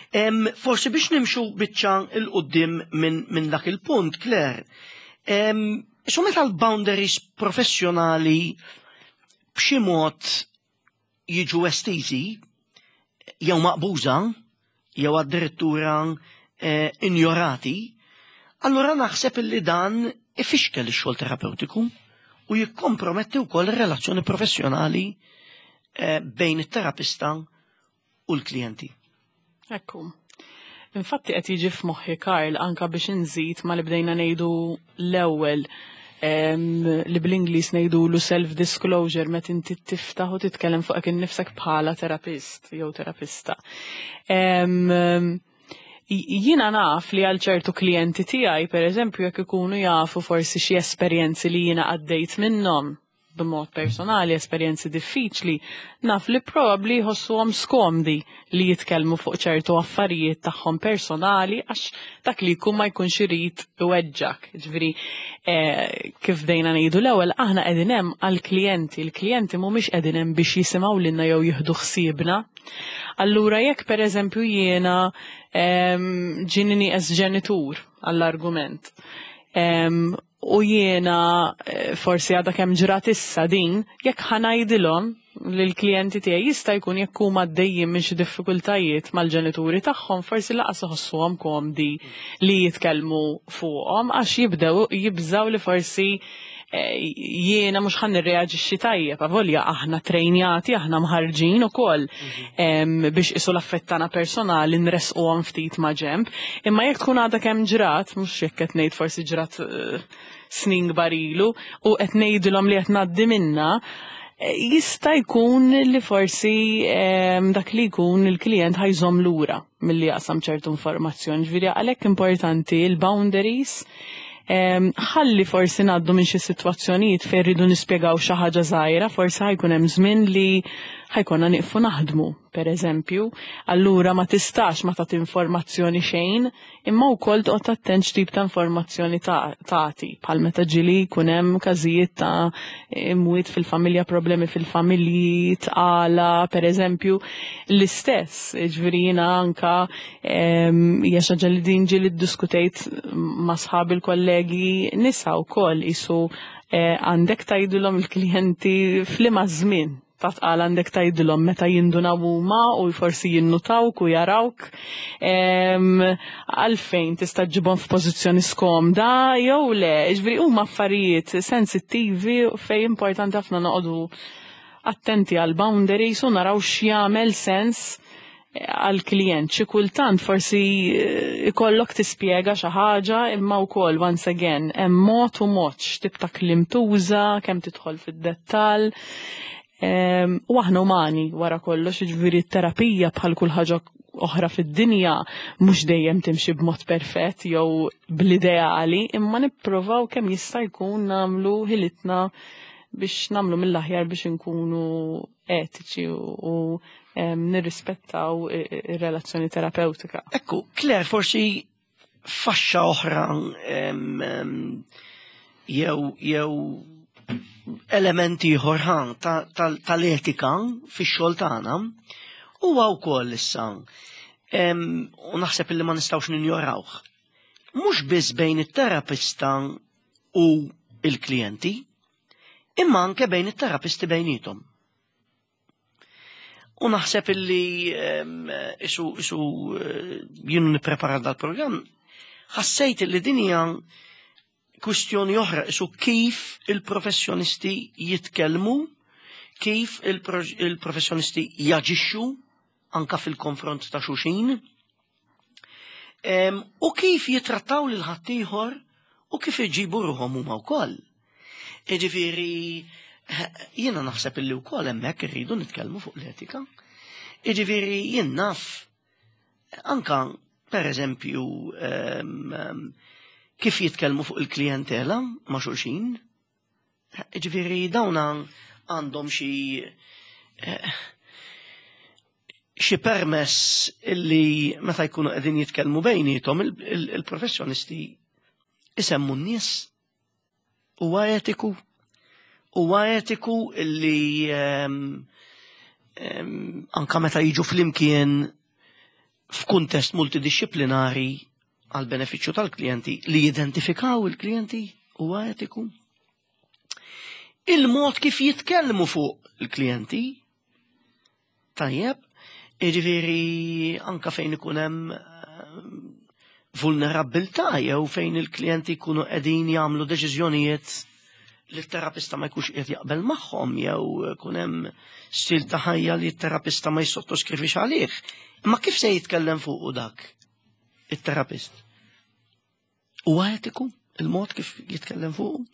Em, forsi biex nimxu biċċa 'l quddiem minn min dak il-punt, Claire, em, isu meta l-boundaries professjonali b'xi mod jiġu estiżi, jew maqbuża, jew addirittura eh, injorati, allura naħseb illi dan ifixkel ix-xogħol terapeutiku u jikkomprometti wkoll ir-relazzjoni professjonali eh, bejn it-terapista u l-klijenti. Ekku. Infatti qed jiġi f'moħħi, Karl, anka biex inżid ma li bdejna ngħidu l-ewwel em, li bl-Ingliż ngħidulu self-disclosure, meta inti tiftaħ u titkellem fuqek innifsek bħala terapist jew terapista. Em, Jiena naf li għal ċertu klijenti tiegħi, per eżempju, jekk ikunu jafu forsi xi esperjenzi li jiena għaddejt minnhom b'mod personali, esperjenzi diffiċli, naf li probabbli jħossuhom skomdi li jitkellmu fuq ċertu affarijiet tagħhom personali, għax dak li jkun ma jkunx irid iweġġak. Ġifieri, eh, kif bdejna ngħidu l-ewwel, aħna qegħdin hemm għall-klijenti, il-klijenti mhumiex qegħdin hemm biex jisimgħu lilna jew jieħdu ħsiebna. Allura jekk per eżempju jiena em, ġieni nieqes ġenitur għall-argument, em, u jiena eh, forsi għadha kemm ġrat issa din, jekk ħa ngħidilhom lill-klijenti tiegħi, jista' jkun jekk huma għaddejjin minn xi diffikultajiet mal-ġenituri tagħhom, forsi lanqas iħossuhom komdi li jitkellmu fuqhom, għax jibdew jibżaw li forsi eh, jiena mhux ħa nirreaġixxi tajjeb, avolja aħna trejnjati, aħna mħarġin ukoll em, biex isu l-affett tagħna personali nresquhom ftit ma' ġemb. Imma jekk tkun għadha kemm ġrat, mhux jekk qed ngħid forsi ġrat eh, snin kbar ilu, u qed ngħidilhom li qed ngħaddi minna, eh, jista' jkun li forsi em, dak li jkun il-klient ħa jżomm lura milli jaqsam ċertu informazzjoni. Ġifieri għalhekk importanti il-boundaries. Em, ħalli forsi ngħaddu minn xi sitwazzjonijiet fejn rridu nispjegaw xi ħaġa żgħira, forsi ħa jkun hemm żmien li ħa jkollna nieqfu naħdmu, per eżempju. Allura ma tistax ma tagħti informazzjoni xejn, imma wkoll toqgħod attent x'tip ta' informazzjoni tagħti, bħal meta ġieli jkun hemm każijiet ta' imwiet fil-familja, problemi fil-familji, tqala, per eżempju, l-istess, ġifieri jiena anka em, hija xi ħaġa li din ġieli ddiskutejt ma' sħabi l-kollegi nisa wkoll, isu eh, għandek tgħidilhom il-klijenti f'liema żmien ta' tqala għandek tgħidilhom, meta jindunaw huma u forsi jinnutawk u jarawk, em, għalfejn tista' ġibhom f'pożizzjoni skomda jew le, ġifieri huma affarijiet sensittivi fejn importanti ħafna noqogħdu attenti għal boundaries u naraw x'jagħmel sens għal klient. Xi kultant forsi eh, ikollok tispjega xi ħaġa, imma wkoll, once again, hemm mod u mod x'tip ta' kliem tuża, kemm tidħol fid-dettall. Em, U aħna umani wara kollox, ġifieri t-terapija bħal kull ħaġa oħra fid-dinja mhux dejjem timxi b'mod perfett jew bl-ideali, imma nipprovaw kemm jista' jkun nagħmlu ħilitna biex nagħmlu mill-aħjar biex inkunu etiċi u, u em, nirrispettaw i- i- ir-relazzjoni terapeutika. Ekku, Claire, forsi faxxa oħra em, em, jew jew elementi ieħor ħa ta- tal- tal-etika fix-xogħol tagħna huwa wkoll issa em, u naħseb illi ma nistgħux ninjorawh. Mhux biss bejn it-terapista u il-klijenti, imma anke bejn it-terapisti bejnietom. U naħseb illi isu isu eh, jien nipprepara dal-programm, ħassejt illi din hija kwistjoni oħra, isu kif il-professjonisti jitkellmu, kif il-professjonisti jaġixxu anka fil-konfront ta' xulxin, u kif jitrattaw lil ħaddieħor u kif iġibu ruħhom huma wkoll. Jiġifieri, jiena naħseb illi wkoll hemmhekk irridu nitkellmu fuq l-etika. Jiġifieri jien naf anka per eżempju kif jitkellmu fuq il-klijentela ma' xulxin. Jiġifieri dawn għandhom xi eh, xi permess illi meta jkunu qegħdin jitkellmu bejnietom il-professjonisti isemmu n-nies. Huwa etiku. Huwa etiku illi anka meta jiġu flimkien f'kuntest multidixxiplinari għal benefiċċju tal-klijenti li jidentifikaw il-klijenti, huwa etiku. Il-mod kif jitkellmu fuq il-klijenti, tajjeb, jiġifieri anka fejn ikun hemm vulnerabilità jew fejn il-klijenti jkunu qegħdin jagħmlu deċiżjonijiet li t-terapista ma jkunx qiegħed jaqbel magħhom jew ikun hemm stil ta' ħajja li t-terapista ma jissottoskrivi għalih. Imma kif se jitkellem fuq dak it-terapist? Huwa etiku il-mod kif jitkellem fuq?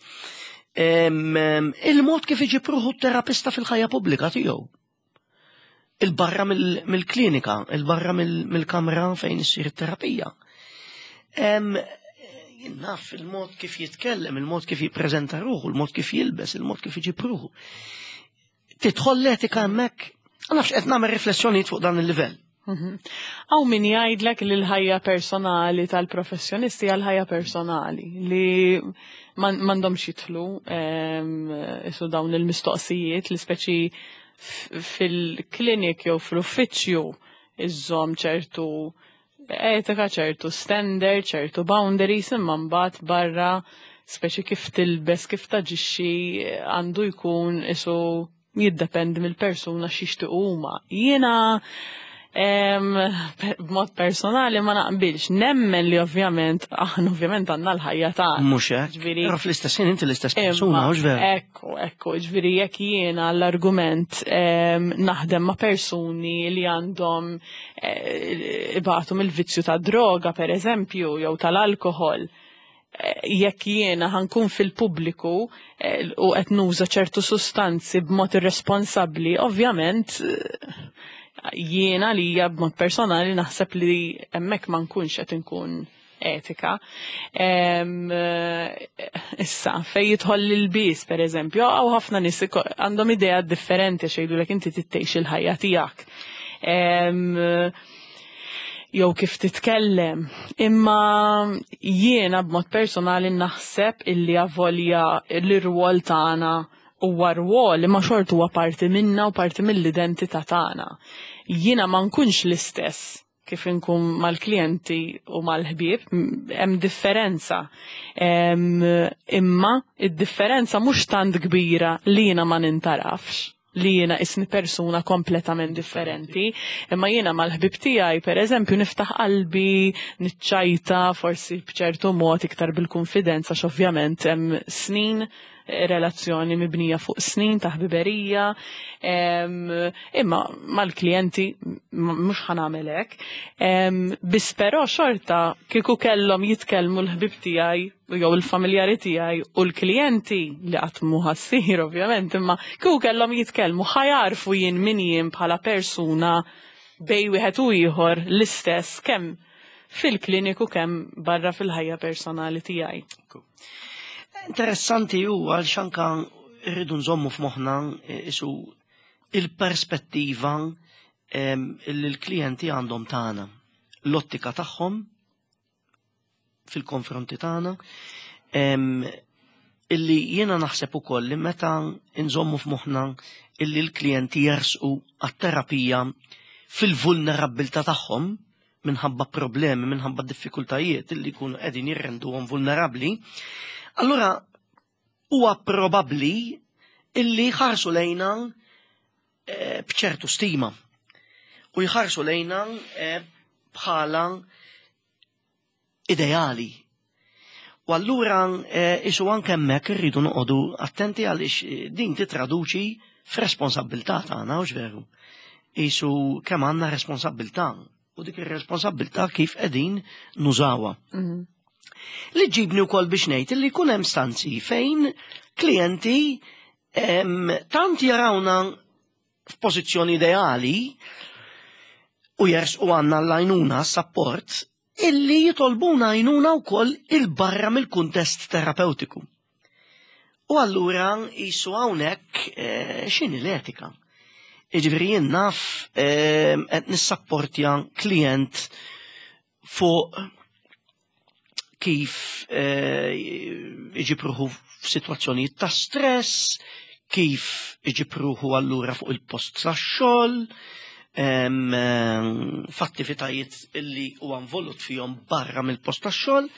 Il-mod kif iġib ruħu t-terapista fil-ħajja pubblika tiegħu. Il-barra mill-klinika, il-barra mill-kamra fejn issir it-terapija. Naf il-mod kif jitkellem, il-mod kif jippreżenta ruħu, il-mod kif jilbes, il-mod kif iġib ruħu. Tidħol l-etika hemmhekk, nafx qed nagħmel riflessjonijiet fuq dan il-livell. Hawn min jgħidlek li l-ħajja personali tal-professjonisti għal ħajja personali li m'għandhomx jidħlu isu dawn il-mistoqsijiet li speċi fil-klinik jew fl-uffiċċju iżżomm ċertu etika, ċertu standard, ċertu boundaries, imma mbagħad barra speċi kif tilbes, kif taġixxi għandu jkun isu jiddependi mill-persuna x'jixtiequ huma. Jiena b'mod personali ma naqbilx, nemmen li ovvjament, aħna ovvjament għandna l-ħajja tagħna. Mhux hekk. Però fl-istess ħin inti l-istess persuna, hux vera? Ekku, ekku, ġifieri jekk jiena l-argument naħdem ma' persuni li għandhom ibatu mill-vizzju ta' droga, per eżempju, jew tal-alkohol, jekk jiena ħankun fil-pubbliku u qed nuża ċertu sustanzi b'mod irresponsabbli, ovvjament jiena li hija b'mod personali naħseb li hemmhekk ma nkunx qed inkun etika. Issa, fej jidħol l-ilbies, per eżempju, hawn ħafna nies għandhom idea differenti xejdu inti tittejx il-ħajja tiegħek. Jew kif titkellem. Imma jiena b'mod personali naħseb illi avolja l-irwol tagħna huwa rwol imma xort huwa parti minna u parti mill-identità tagħna. Jiena ma nkunx l-istess kif inkun mal-klijenti u mal-ħbieb, hemm differenza. Imma id-differenza mhux tant kbira li jiena ma nintarafx, li jiena isni persuna kompletament differenti, imma jiena mal-ħbib tiegħi per eżempju niftaħ qalbi, niċċajta, forsi b'ċertu mod iktar bil-konfidenza, x'ovvjament hemm snin relazzjoni mibnija fuq snin ta' ħbiberija, imma mal-klijenti mhux ħanagħmel hekk. Biss però xorta kieku kellhom jitkellmu l-ħbib tiegħi jew il-familjari tiegħi u l-klijenti li qatt mhu ħassir ovvjament, imma kieku kellhom jitkellmu ħajarfu jien min jien bħala persuna bej wieħed u ieħor l-istess kemm fil-kliniku kemm barra fil-ħajja personali tiegħi. Interessanti hu għal xanka rridu nżommu f'moħħna isu il-perspettiva li l-klijenti għandhom tagħna, l-ottika tagħhom fil-konfronti tagħna, illi jiena naħseb ukoll li meta nżommu f'moħħna illi l-klijenti jersqu għat-terapija fil-vulnerabilità tagħhom, minħabba problemi, minħabba diffikultajiet li jkunu qegħdin jirrenduhom vulnerabbli, allura huwa probabbli illi ħarsu lejna eh, b'ċertu stima u jħarsu lejna eh, bħala ideali. U allura eh, isu anke hemmhekk irridu noqogħdu attenti għaliex eh, din titraduċi f'responsabbiltà tagħna, hux veru? Isu kemm għandna responsabbiltà u dik ir-responsabbiltà kif qegħdin nużawha. Mhm. Li ġibni wkoll biex ngħid li jkun hemm stanzi fejn klijenti em, tant jarawna f'pożizzjoni ideali u jersqu għandna l-għajnuna, support, illi jitolbuna għajnuna wkoll il-barra mill-kuntest terapeutiku. U allura jisu hawnhekk eh, x'inhi l-etika? Jiġifieri jien naf eh, qed nissapportja klient fuq kif eh, iġib ruħu f'sitwazzjonijiet ta' stress, kif iġib ruħu allura fuq il-post tax-xogħol, em, em, f'attivitajiet illi huwa involut fihom barra mill-post tax-xogħol.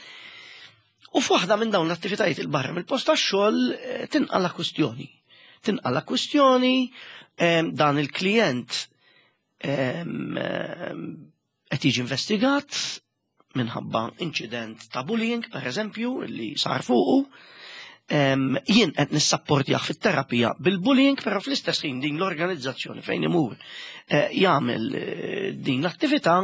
U f'waħda minn dawn l-attivitajiet il-barra mill-post tax-xogħol eh, tinqala kwistjoni. Tinqala kwistjoni em, dan il-klient em, em, qed jiġi investigat minħabba incident ta' bullying, per eżempju, li sar fuqu. Em, Jien qed nissapportjah fit-terapija bil-bullying, però fl-istess ħin din l-organizzazzjoni fejn imur eh, jagħmel eh, din l-attività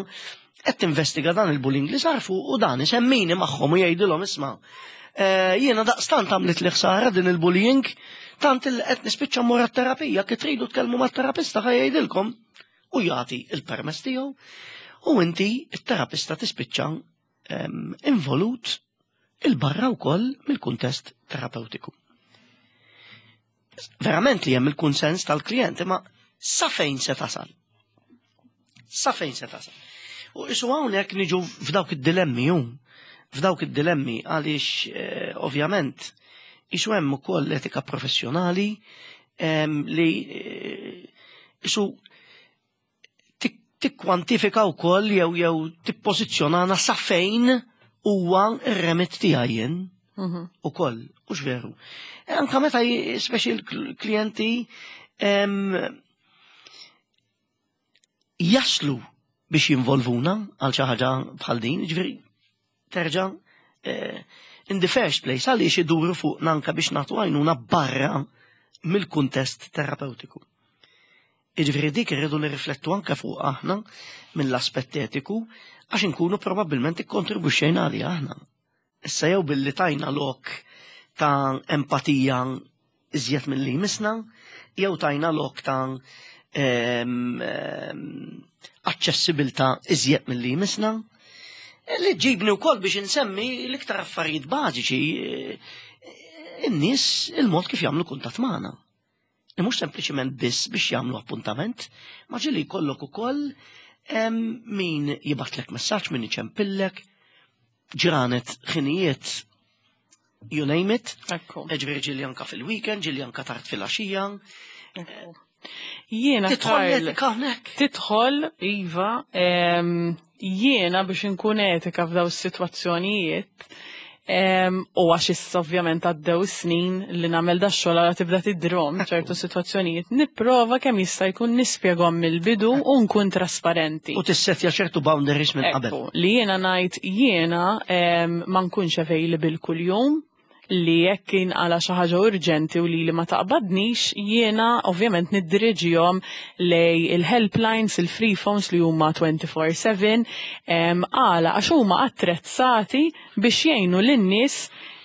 qed tinvestiga dan il-bullying li sar fuq u dan isemmini magħhom u jgħidilhom: "Isma', eh, jiena daqstant għamlet li ħsara din il-bullying, tant il qed nispiċċa mmur terapija, kif tridu tkellmu mat-terapista ħa jgħidilkom", u jagħti il-permess tiegħu u inti it-terapista tispiċċa em, involut il-barra wkoll mill-kuntest terapeutiku. Verament li hemm il-kunsens tal-klient, imma sa fejn se tasal? Sa fejn se tasal? U isu hawnhekk niġu f'dawk id-dilemmi ju, f'dawk id-dilemmi għaliex eh, ovvjament isu hemm ukoll etika professjonali em, li eh, isu tik- tikkwantifika wkoll jew jew tippożizzjonana sa fejn huwa r-remit tiegħi jien Mhm. ukoll, hux veru? E anka meta j- speċi l-klijenti em, jaslu biex jinvolvuna għal xi ħaġa bħal din, ġifieri terġa' eh, in the first place għaliex iduru fuq anka biex nagħtu għajnuna barra mill-kuntest terapeutiku? Jiġifieri dik irridu nirriflettu anka fuq aħna mill-aspett etiku għax inkunu probabbilment ikkontribwixxejna għalija aħna. Issa jew billi tajna lok ta' empatija iżjed mill-li misna, jew tajna lok ta' em, em, aċċessibilità iżjed mill-li misna, li ġibni wkoll biex insemmi l-iktar affarijiet bażiċi, eh, in-nies il-mod kif jagħmlu kuntatt magħna. Li mhux sempliċement biss biex jagħmlu appuntament, ma ġieli jkollok ukoll em, min jibgħatlek messaġġ, min iċempillek, ġranet, ħinijiet, you name it. Ekku. Ġifieri ġieli anka fil-weekend, ġieli anka tard fil-għaxija. Ekku. Jiena Tidħol Karl, l-etika hawnhekk. Tidħol, iva, em, jiena biex inkun etika f'daw is-sitwazzjonijiet, em, u għax issa ovvjament għaddew snin li nagħmel da xogħol għala tibda tidrom ċertu sitwazzjonijiet, nipprova kemm jista' jkun nispjegahom mill-bidu u nkun trasparenti. U tissetja ċertu boundaries minn qabel. Ekku, li jiena ngħid jiena em, ma nkunx available kuljum, li jekk inqala xi ħaġa urġenti u li li ma taqbadnix, jiena ovvjament niddiriġihom lej il-helplines, il-free phones li huma twenty-four seven, em, għala għax huma attrezzati biex jgħinu lin-nies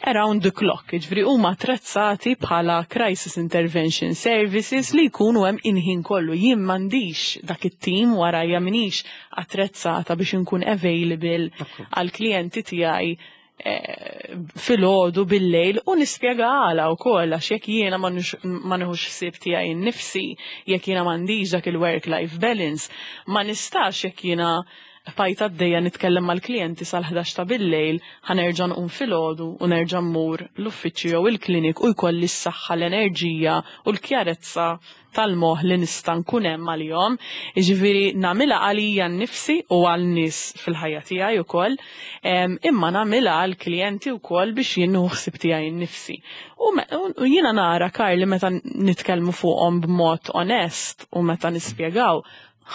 around the clock, ġifieri huma attrezzati bħala crisis intervention services li jkunu hemm il-ħin kollu. Jien m'għandix dak it-tim warajja, minix attrezzata biex inkun available għal klijenti tiegħi eh, filgħodu, bil-lejl, u nispjega għala wkoll għax jekk jiena ma nux- ma nieħux ħsieb tiegħi nnifsi, jekk jiena m'għandix dak il-work-life balance, ma nistax jekk jiena Bqajt għaddejja nitkellem mal-klijenti sal-ħdax ta' bil-lejl, ħa nerġa' nqum filgħodu u nerġa' mmur l-uffiċċju jew il-klinik u jkolli s-saħħa, l-enerġija u l-kjarezza tal-moħ li nista' nkun hemm għalihom. Jiġifieri nagħmilha għalija nnifsi u għal nies fil-ħajja tiegħi ukoll, imma nagħmilha għal klijenti wkoll biex jien nieħu ħsieb tiegħi nnifsi. U jiena nara, Karli, meta nitkellmu fuqhom b'mod onest u meta nispjegaw,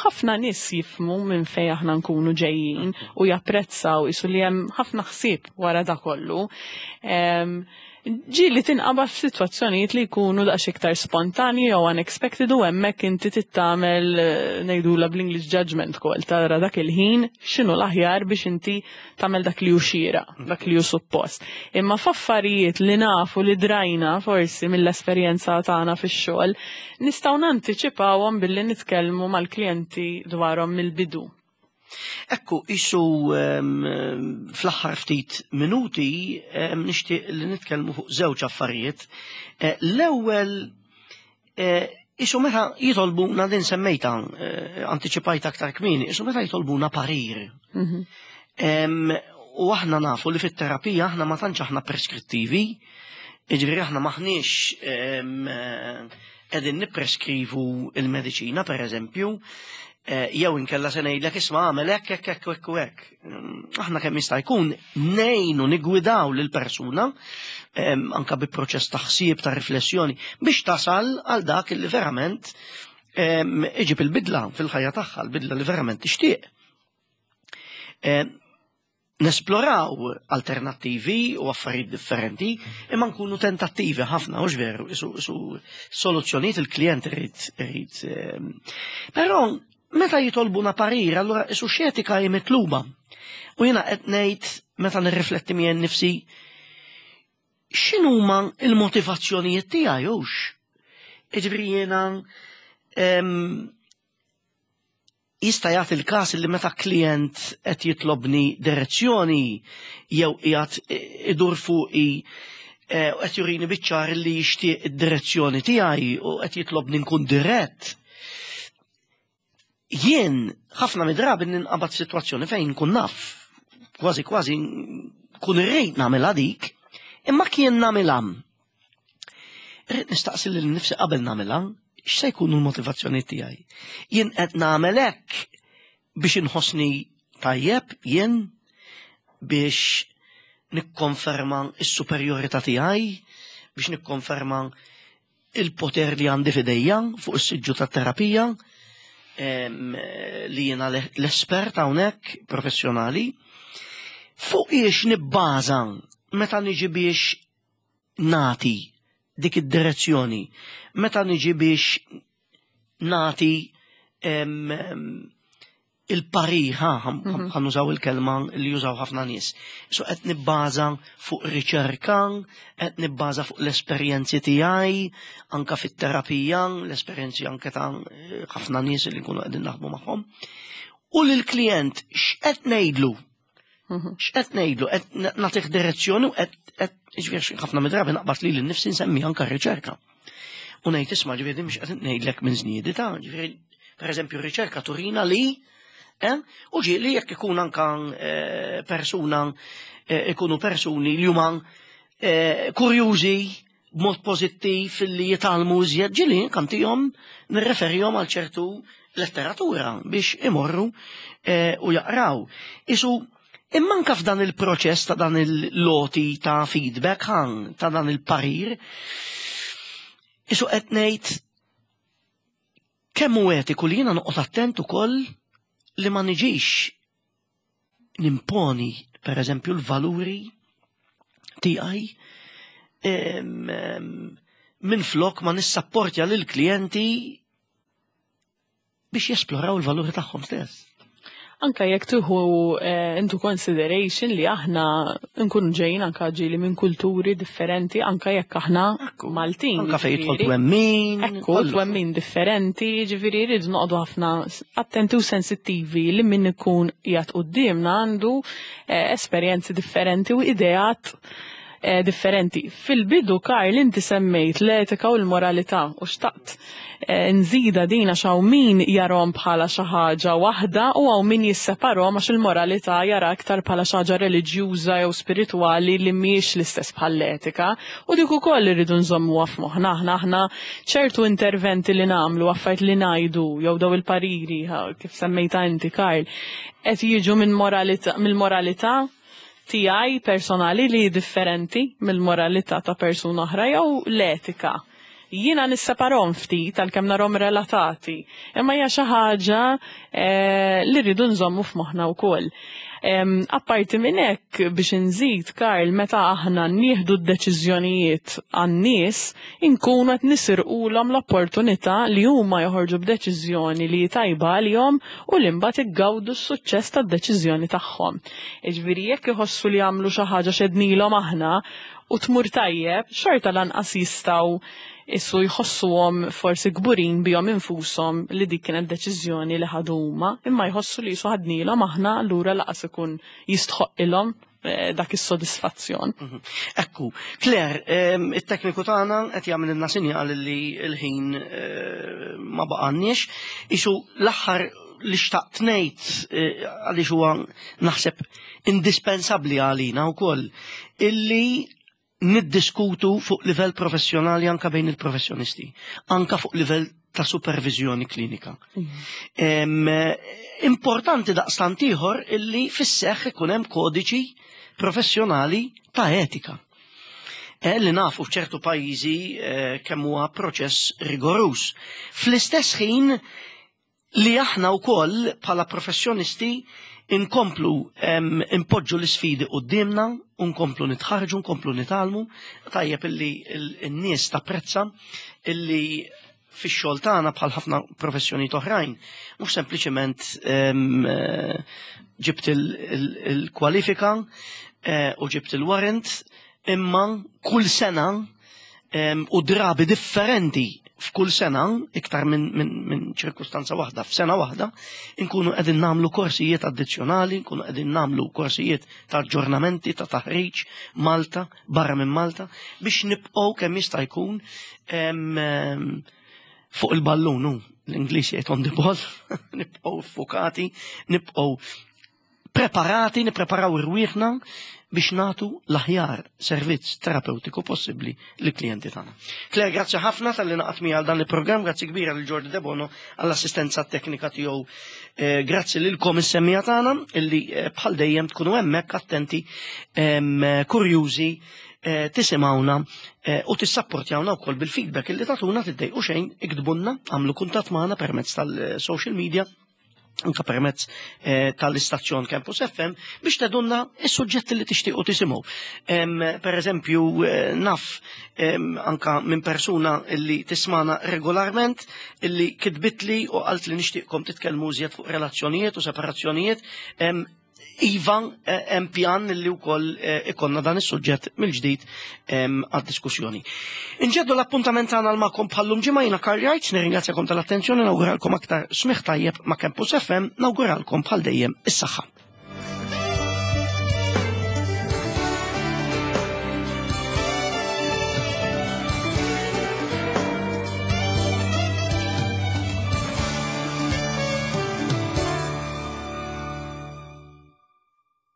ħafna nies jifhmu minn fejn aħna nkunu ġejjin u japprezzaw isu li hemm ħafna ħsieb wara da kollu. Ġieli tinqabad f'sitwazzjonijiet li jkunu daqs iktar spontanji jew unexpected u hemmhekk inti tagħmel, ngħidula bl-English, judgment call, tara dak il-ħin x'inhu l-aħjar biex inti tagħmel dak li hu xieraq, dak li hu suppost. Imma f'affarijiet li nafu li drajna forsi mill-esperjenza tagħna fix-xogħol, nistgħu nantiċipawhom billi nitkellmu mal-klijenti dwarhom mill-bidu. Ekku, isu fl-aħħar ftit minuti nixtieq li nitkellmu fuq żewġ affarijiet. Eh, l-ewwel eh, isu meta jitolbuna, din semmejta, eh, antiċipajta aktar kmieni, isu meta jitolbuna parir. Mhm. U aħna nafu li fit-terapija aħna ma tantx aħna preskrittivi, jiġifieri aħna maħniex qegħdin nippreskrivu il-mediċina, per eżempju, eh, jew inkella se ngħidlek, "Isma', għamel hekk, hekk, hekk, hekk u hekk." Mm, Aħna kemm jista' jkun ngħinu nigwidaw lil persuna anka bi proċess ta' ħsieb, ta' riflessjoni, biex tasal għal dak li verament iġib il-bidla fil-ħajja tagħha, l-bidla li verament tixtieq. Nesploraw alternattivi u affarijiet differenti, imma nkunu tentattivi ħafna, u veru, isu, isu soluzzjonijiet il-klient irid, irid. Però meta jitolbuna parir, allura isu x'etika hi mitluba? U jiena qed ngħid, meta nirrifletti miegħi nnifsi, x'inhuma il-motivazzjonijiet tiegħi hux? Jiġifieri jiena jista' jagħti il-każ li meta klient qed jitlobni direzzjoni jew qiegħed idur fuqi eh, u qed jurini biċ-ċar li jixtieq id-direzzjoni tiegħi u qed jitlobni nkun dirett. Jien ħafna mid-drabi ninqabad sitwazzjoni fejn nkun naf, kważi kważi nkun irrid nagħmilha dik, imma kien nagħmilha, irrid nistaqsi lil nifsi qabel nagħmilha, x'se jkunu l-motivazzjoni tiegħi? Jien qed nagħmel hekk biex inħossni tajjeb jien, biex nikkonferma s-superjorità tiegħi, biex nikkonferma il-poter li għandi f'idejja fuq is-siġġu tat-terapija, li jiena l-espert hawnhekk professjonali, fuq iex nibbaża meta niġi biex nati dik id-direzzjoni, meta niġi biex nati il-parir, mhm. ħa nużaw il-kelma li jużaw ħafna nies. So qed nibbaża fuq riċerka, qed nibbaża fuq l-esperjenzi tiegħi, anka fit-terapija, l-esperjenzi anke ta' ħafna nies li nkunu qegħdin naħdmu magħhom. U lill-klient x'qed ngħidlu? Mhm. X'qed ngħidlu? Qed nagħtih direzzjoni u qed ġifieri ħafna mid-drabi naqbad li l-nifsi nsemmi anka riċerka. U ngħid, "Isma', ġifieri mhux qed ngħidlek minn żniedi ta' ġifieri pereżempju riċerka turina li eh? U ġieli jekk ikun anka eh, persuna eh, ikunu persuni li huma kurjużi b'mod pożittiv li jitgħallmu iżjed, ġieli kantihom nirreferihom għal ċertu letteratura biex imorru u jaqraw. Isu imma anka f'dan il-proċess ta' dan il-loti ta' feedback ħan, ta' dan il-parir, isu qed ngħid kemm hu etiku li jiena noqgħod attent ukoll li ma niġix nimponi per eżempju l-valuri tiegħi minn flok ma nissapportja lil klijenti biex jesploraw il-valuri tagħhom stess. Anka jekk tieħu eh, into consideration li aħna nkunu ġejjin anka ġieli minn kulturi differenti, anka jekk aħna Maltin. Anka fejn jidħol twemmin. Ekku, twemmin differenti, ġifieri rridu noqogħdu ħafna attenti u sensittivi li min ikun qiegħed quddiemna għandu eh, esperjenzi differenti u ideat eh, differenti. Fil-bidu, Karl, inti semmejt l-etika u l-moralità u xtaqt eh, nżida din għax hawn min jarahom bħala xi ħaġa waħda u hawn min jisseparahom għax il-moralità jara aktar bħala xi ħaġa reliġjuża jew spiritwali li mhijiex l-istess bħall-etika. U dik ukoll irridu nżommuha f'moħħna aħna aħna ċertu interventi li nagħmlu, affarijiet li ngħidu jew daw il-pariri ha, kif semmejta inti, Karl, qed jiġu minn moralità mill-moralità tiegħi personali li differenti mill-moralità ta' persuna oħra jew l-etika. Jiena nisseparahom ftit għalkemm narhom relatati, imma hija xi ħaġa eh, li rridu nżommu f'moħħna wkoll. Em, Apparti minn hekk, biex inżid, Karl, meta aħna nieħdu d-deċiżjonijiet għan-nies, inkunu qed nisirqulhom l-opportunità li huma joħorġu b'deċiżjoni li tajba għalihom u li mbagħad iggawdu s-suċċess tad-deċiżjoni tagħhom. Jiġifieri jekk iħossu li jagħmlu xi ħaġa x'għednilhom aħna u tmur tajjeb, xorta lanqas jistgħu issu jħossuhom forsi kburin bihom infushom li dik kienet deċiżjoni li ħadu huma, imma jħossu li jisu ħadnilhom aħna, allura lanqas ikun jistħoqqilhom eh, dak is-sodisfazzjon. Ekku, Claire, em, it-tekniku tagħna qed jagħmel sinjal li l-ħin eh, ma baqanniex. Isu l-aħħar li xtaqt ngħid eh, għaliex huwa naħseb indispensabbli għalina wkoll illi niddiskutu fuq livell professjonali anka bejn il-professjonisti, anka fuq livell ta' supervizjoni klinika. Em, importanti daqstant ieħor illi fis-seħħ ikun hemm kodiċi professjonali ta' etika. Eh, li nafu f'ċertu pajjiżi eh, kemm huwa proċess rigorus. Fl-istess ħin li aħna wkoll bħala professjonisti inkomplu em, impoġġu l-isfidi qudiemna, nkomplu nitħarġu, nkomplu nitgħallmu, tajjeb illi n-nies tapprezza illi fix-xogħol tagħna bħal ħafna professjonijiet oħrajn, mhux sempliċement em, eh, ġibt il-kwalifika eh, u ġibt il-warrant, imma kull sena em, u drabi differenti f'kull sena, iktar minn min, min ċirkustanza waħda, f'sena waħda, inkunu qegħdin nagħmlu korsijiet addizzjonali, nkunu qegħdin nagħmlu korsijiet ta' aġġornamenti, ta' taħriġ, Malta, barra minn Malta, biex nibqgħu kemm jista' jkun em, em, fuq il-ballun, hu, l-Ingliż jgħid "on the ball", nibqgħu fukati, nibqgħu preparati, nippreparaw irwieħna biex natu l-aħjar servizz terapeutiku possibbli li klijenti tagħna. Claire, grazzi ħafna talli ngħaqadt miegħi għal dan il-programm, grazzi kbira lil Jordi Debono għall-assistenza teknika tiegħu. Eh, grazzi lilkom is-semmiegħa tagħna illi eh, bħal dejjem tkunu hemmhekk attenti, em, kurjużi, eh, tisimgħuna eh, u tissapportjawna wkoll bil-feedback illi tagħtuna. Tiddejqu xejn, iktbulna, għamlu kuntatt magħna permezz tal-social media, anka permezz eh, tal-istazzjon Campus F M biex tgħidulna is-suġġetti li tixtiequ tisimgħu. Em, Per eżempju, eh, naf em, anka minn persuna illi tismana regolarment illi kitbitli u qalt li nixtieqkom titkellmu iżjed fuq relazzjonijiet u separazzjonijiet. Em, Iva, eh, hemm pjan li wkoll eh, ikonna dan is-suġġett mill-ġdid em, għad-diskussjoni. Inġeddu l-appuntament tagħna magħkom bħal-lum ġimgħa. Jiena Karl Wright, nirringrazzjakom tal-attenzjoni, nawguralkom aktar smigħ tajjeb ma' Campus F M, nawguralkom bħal dejjem is-saħħa.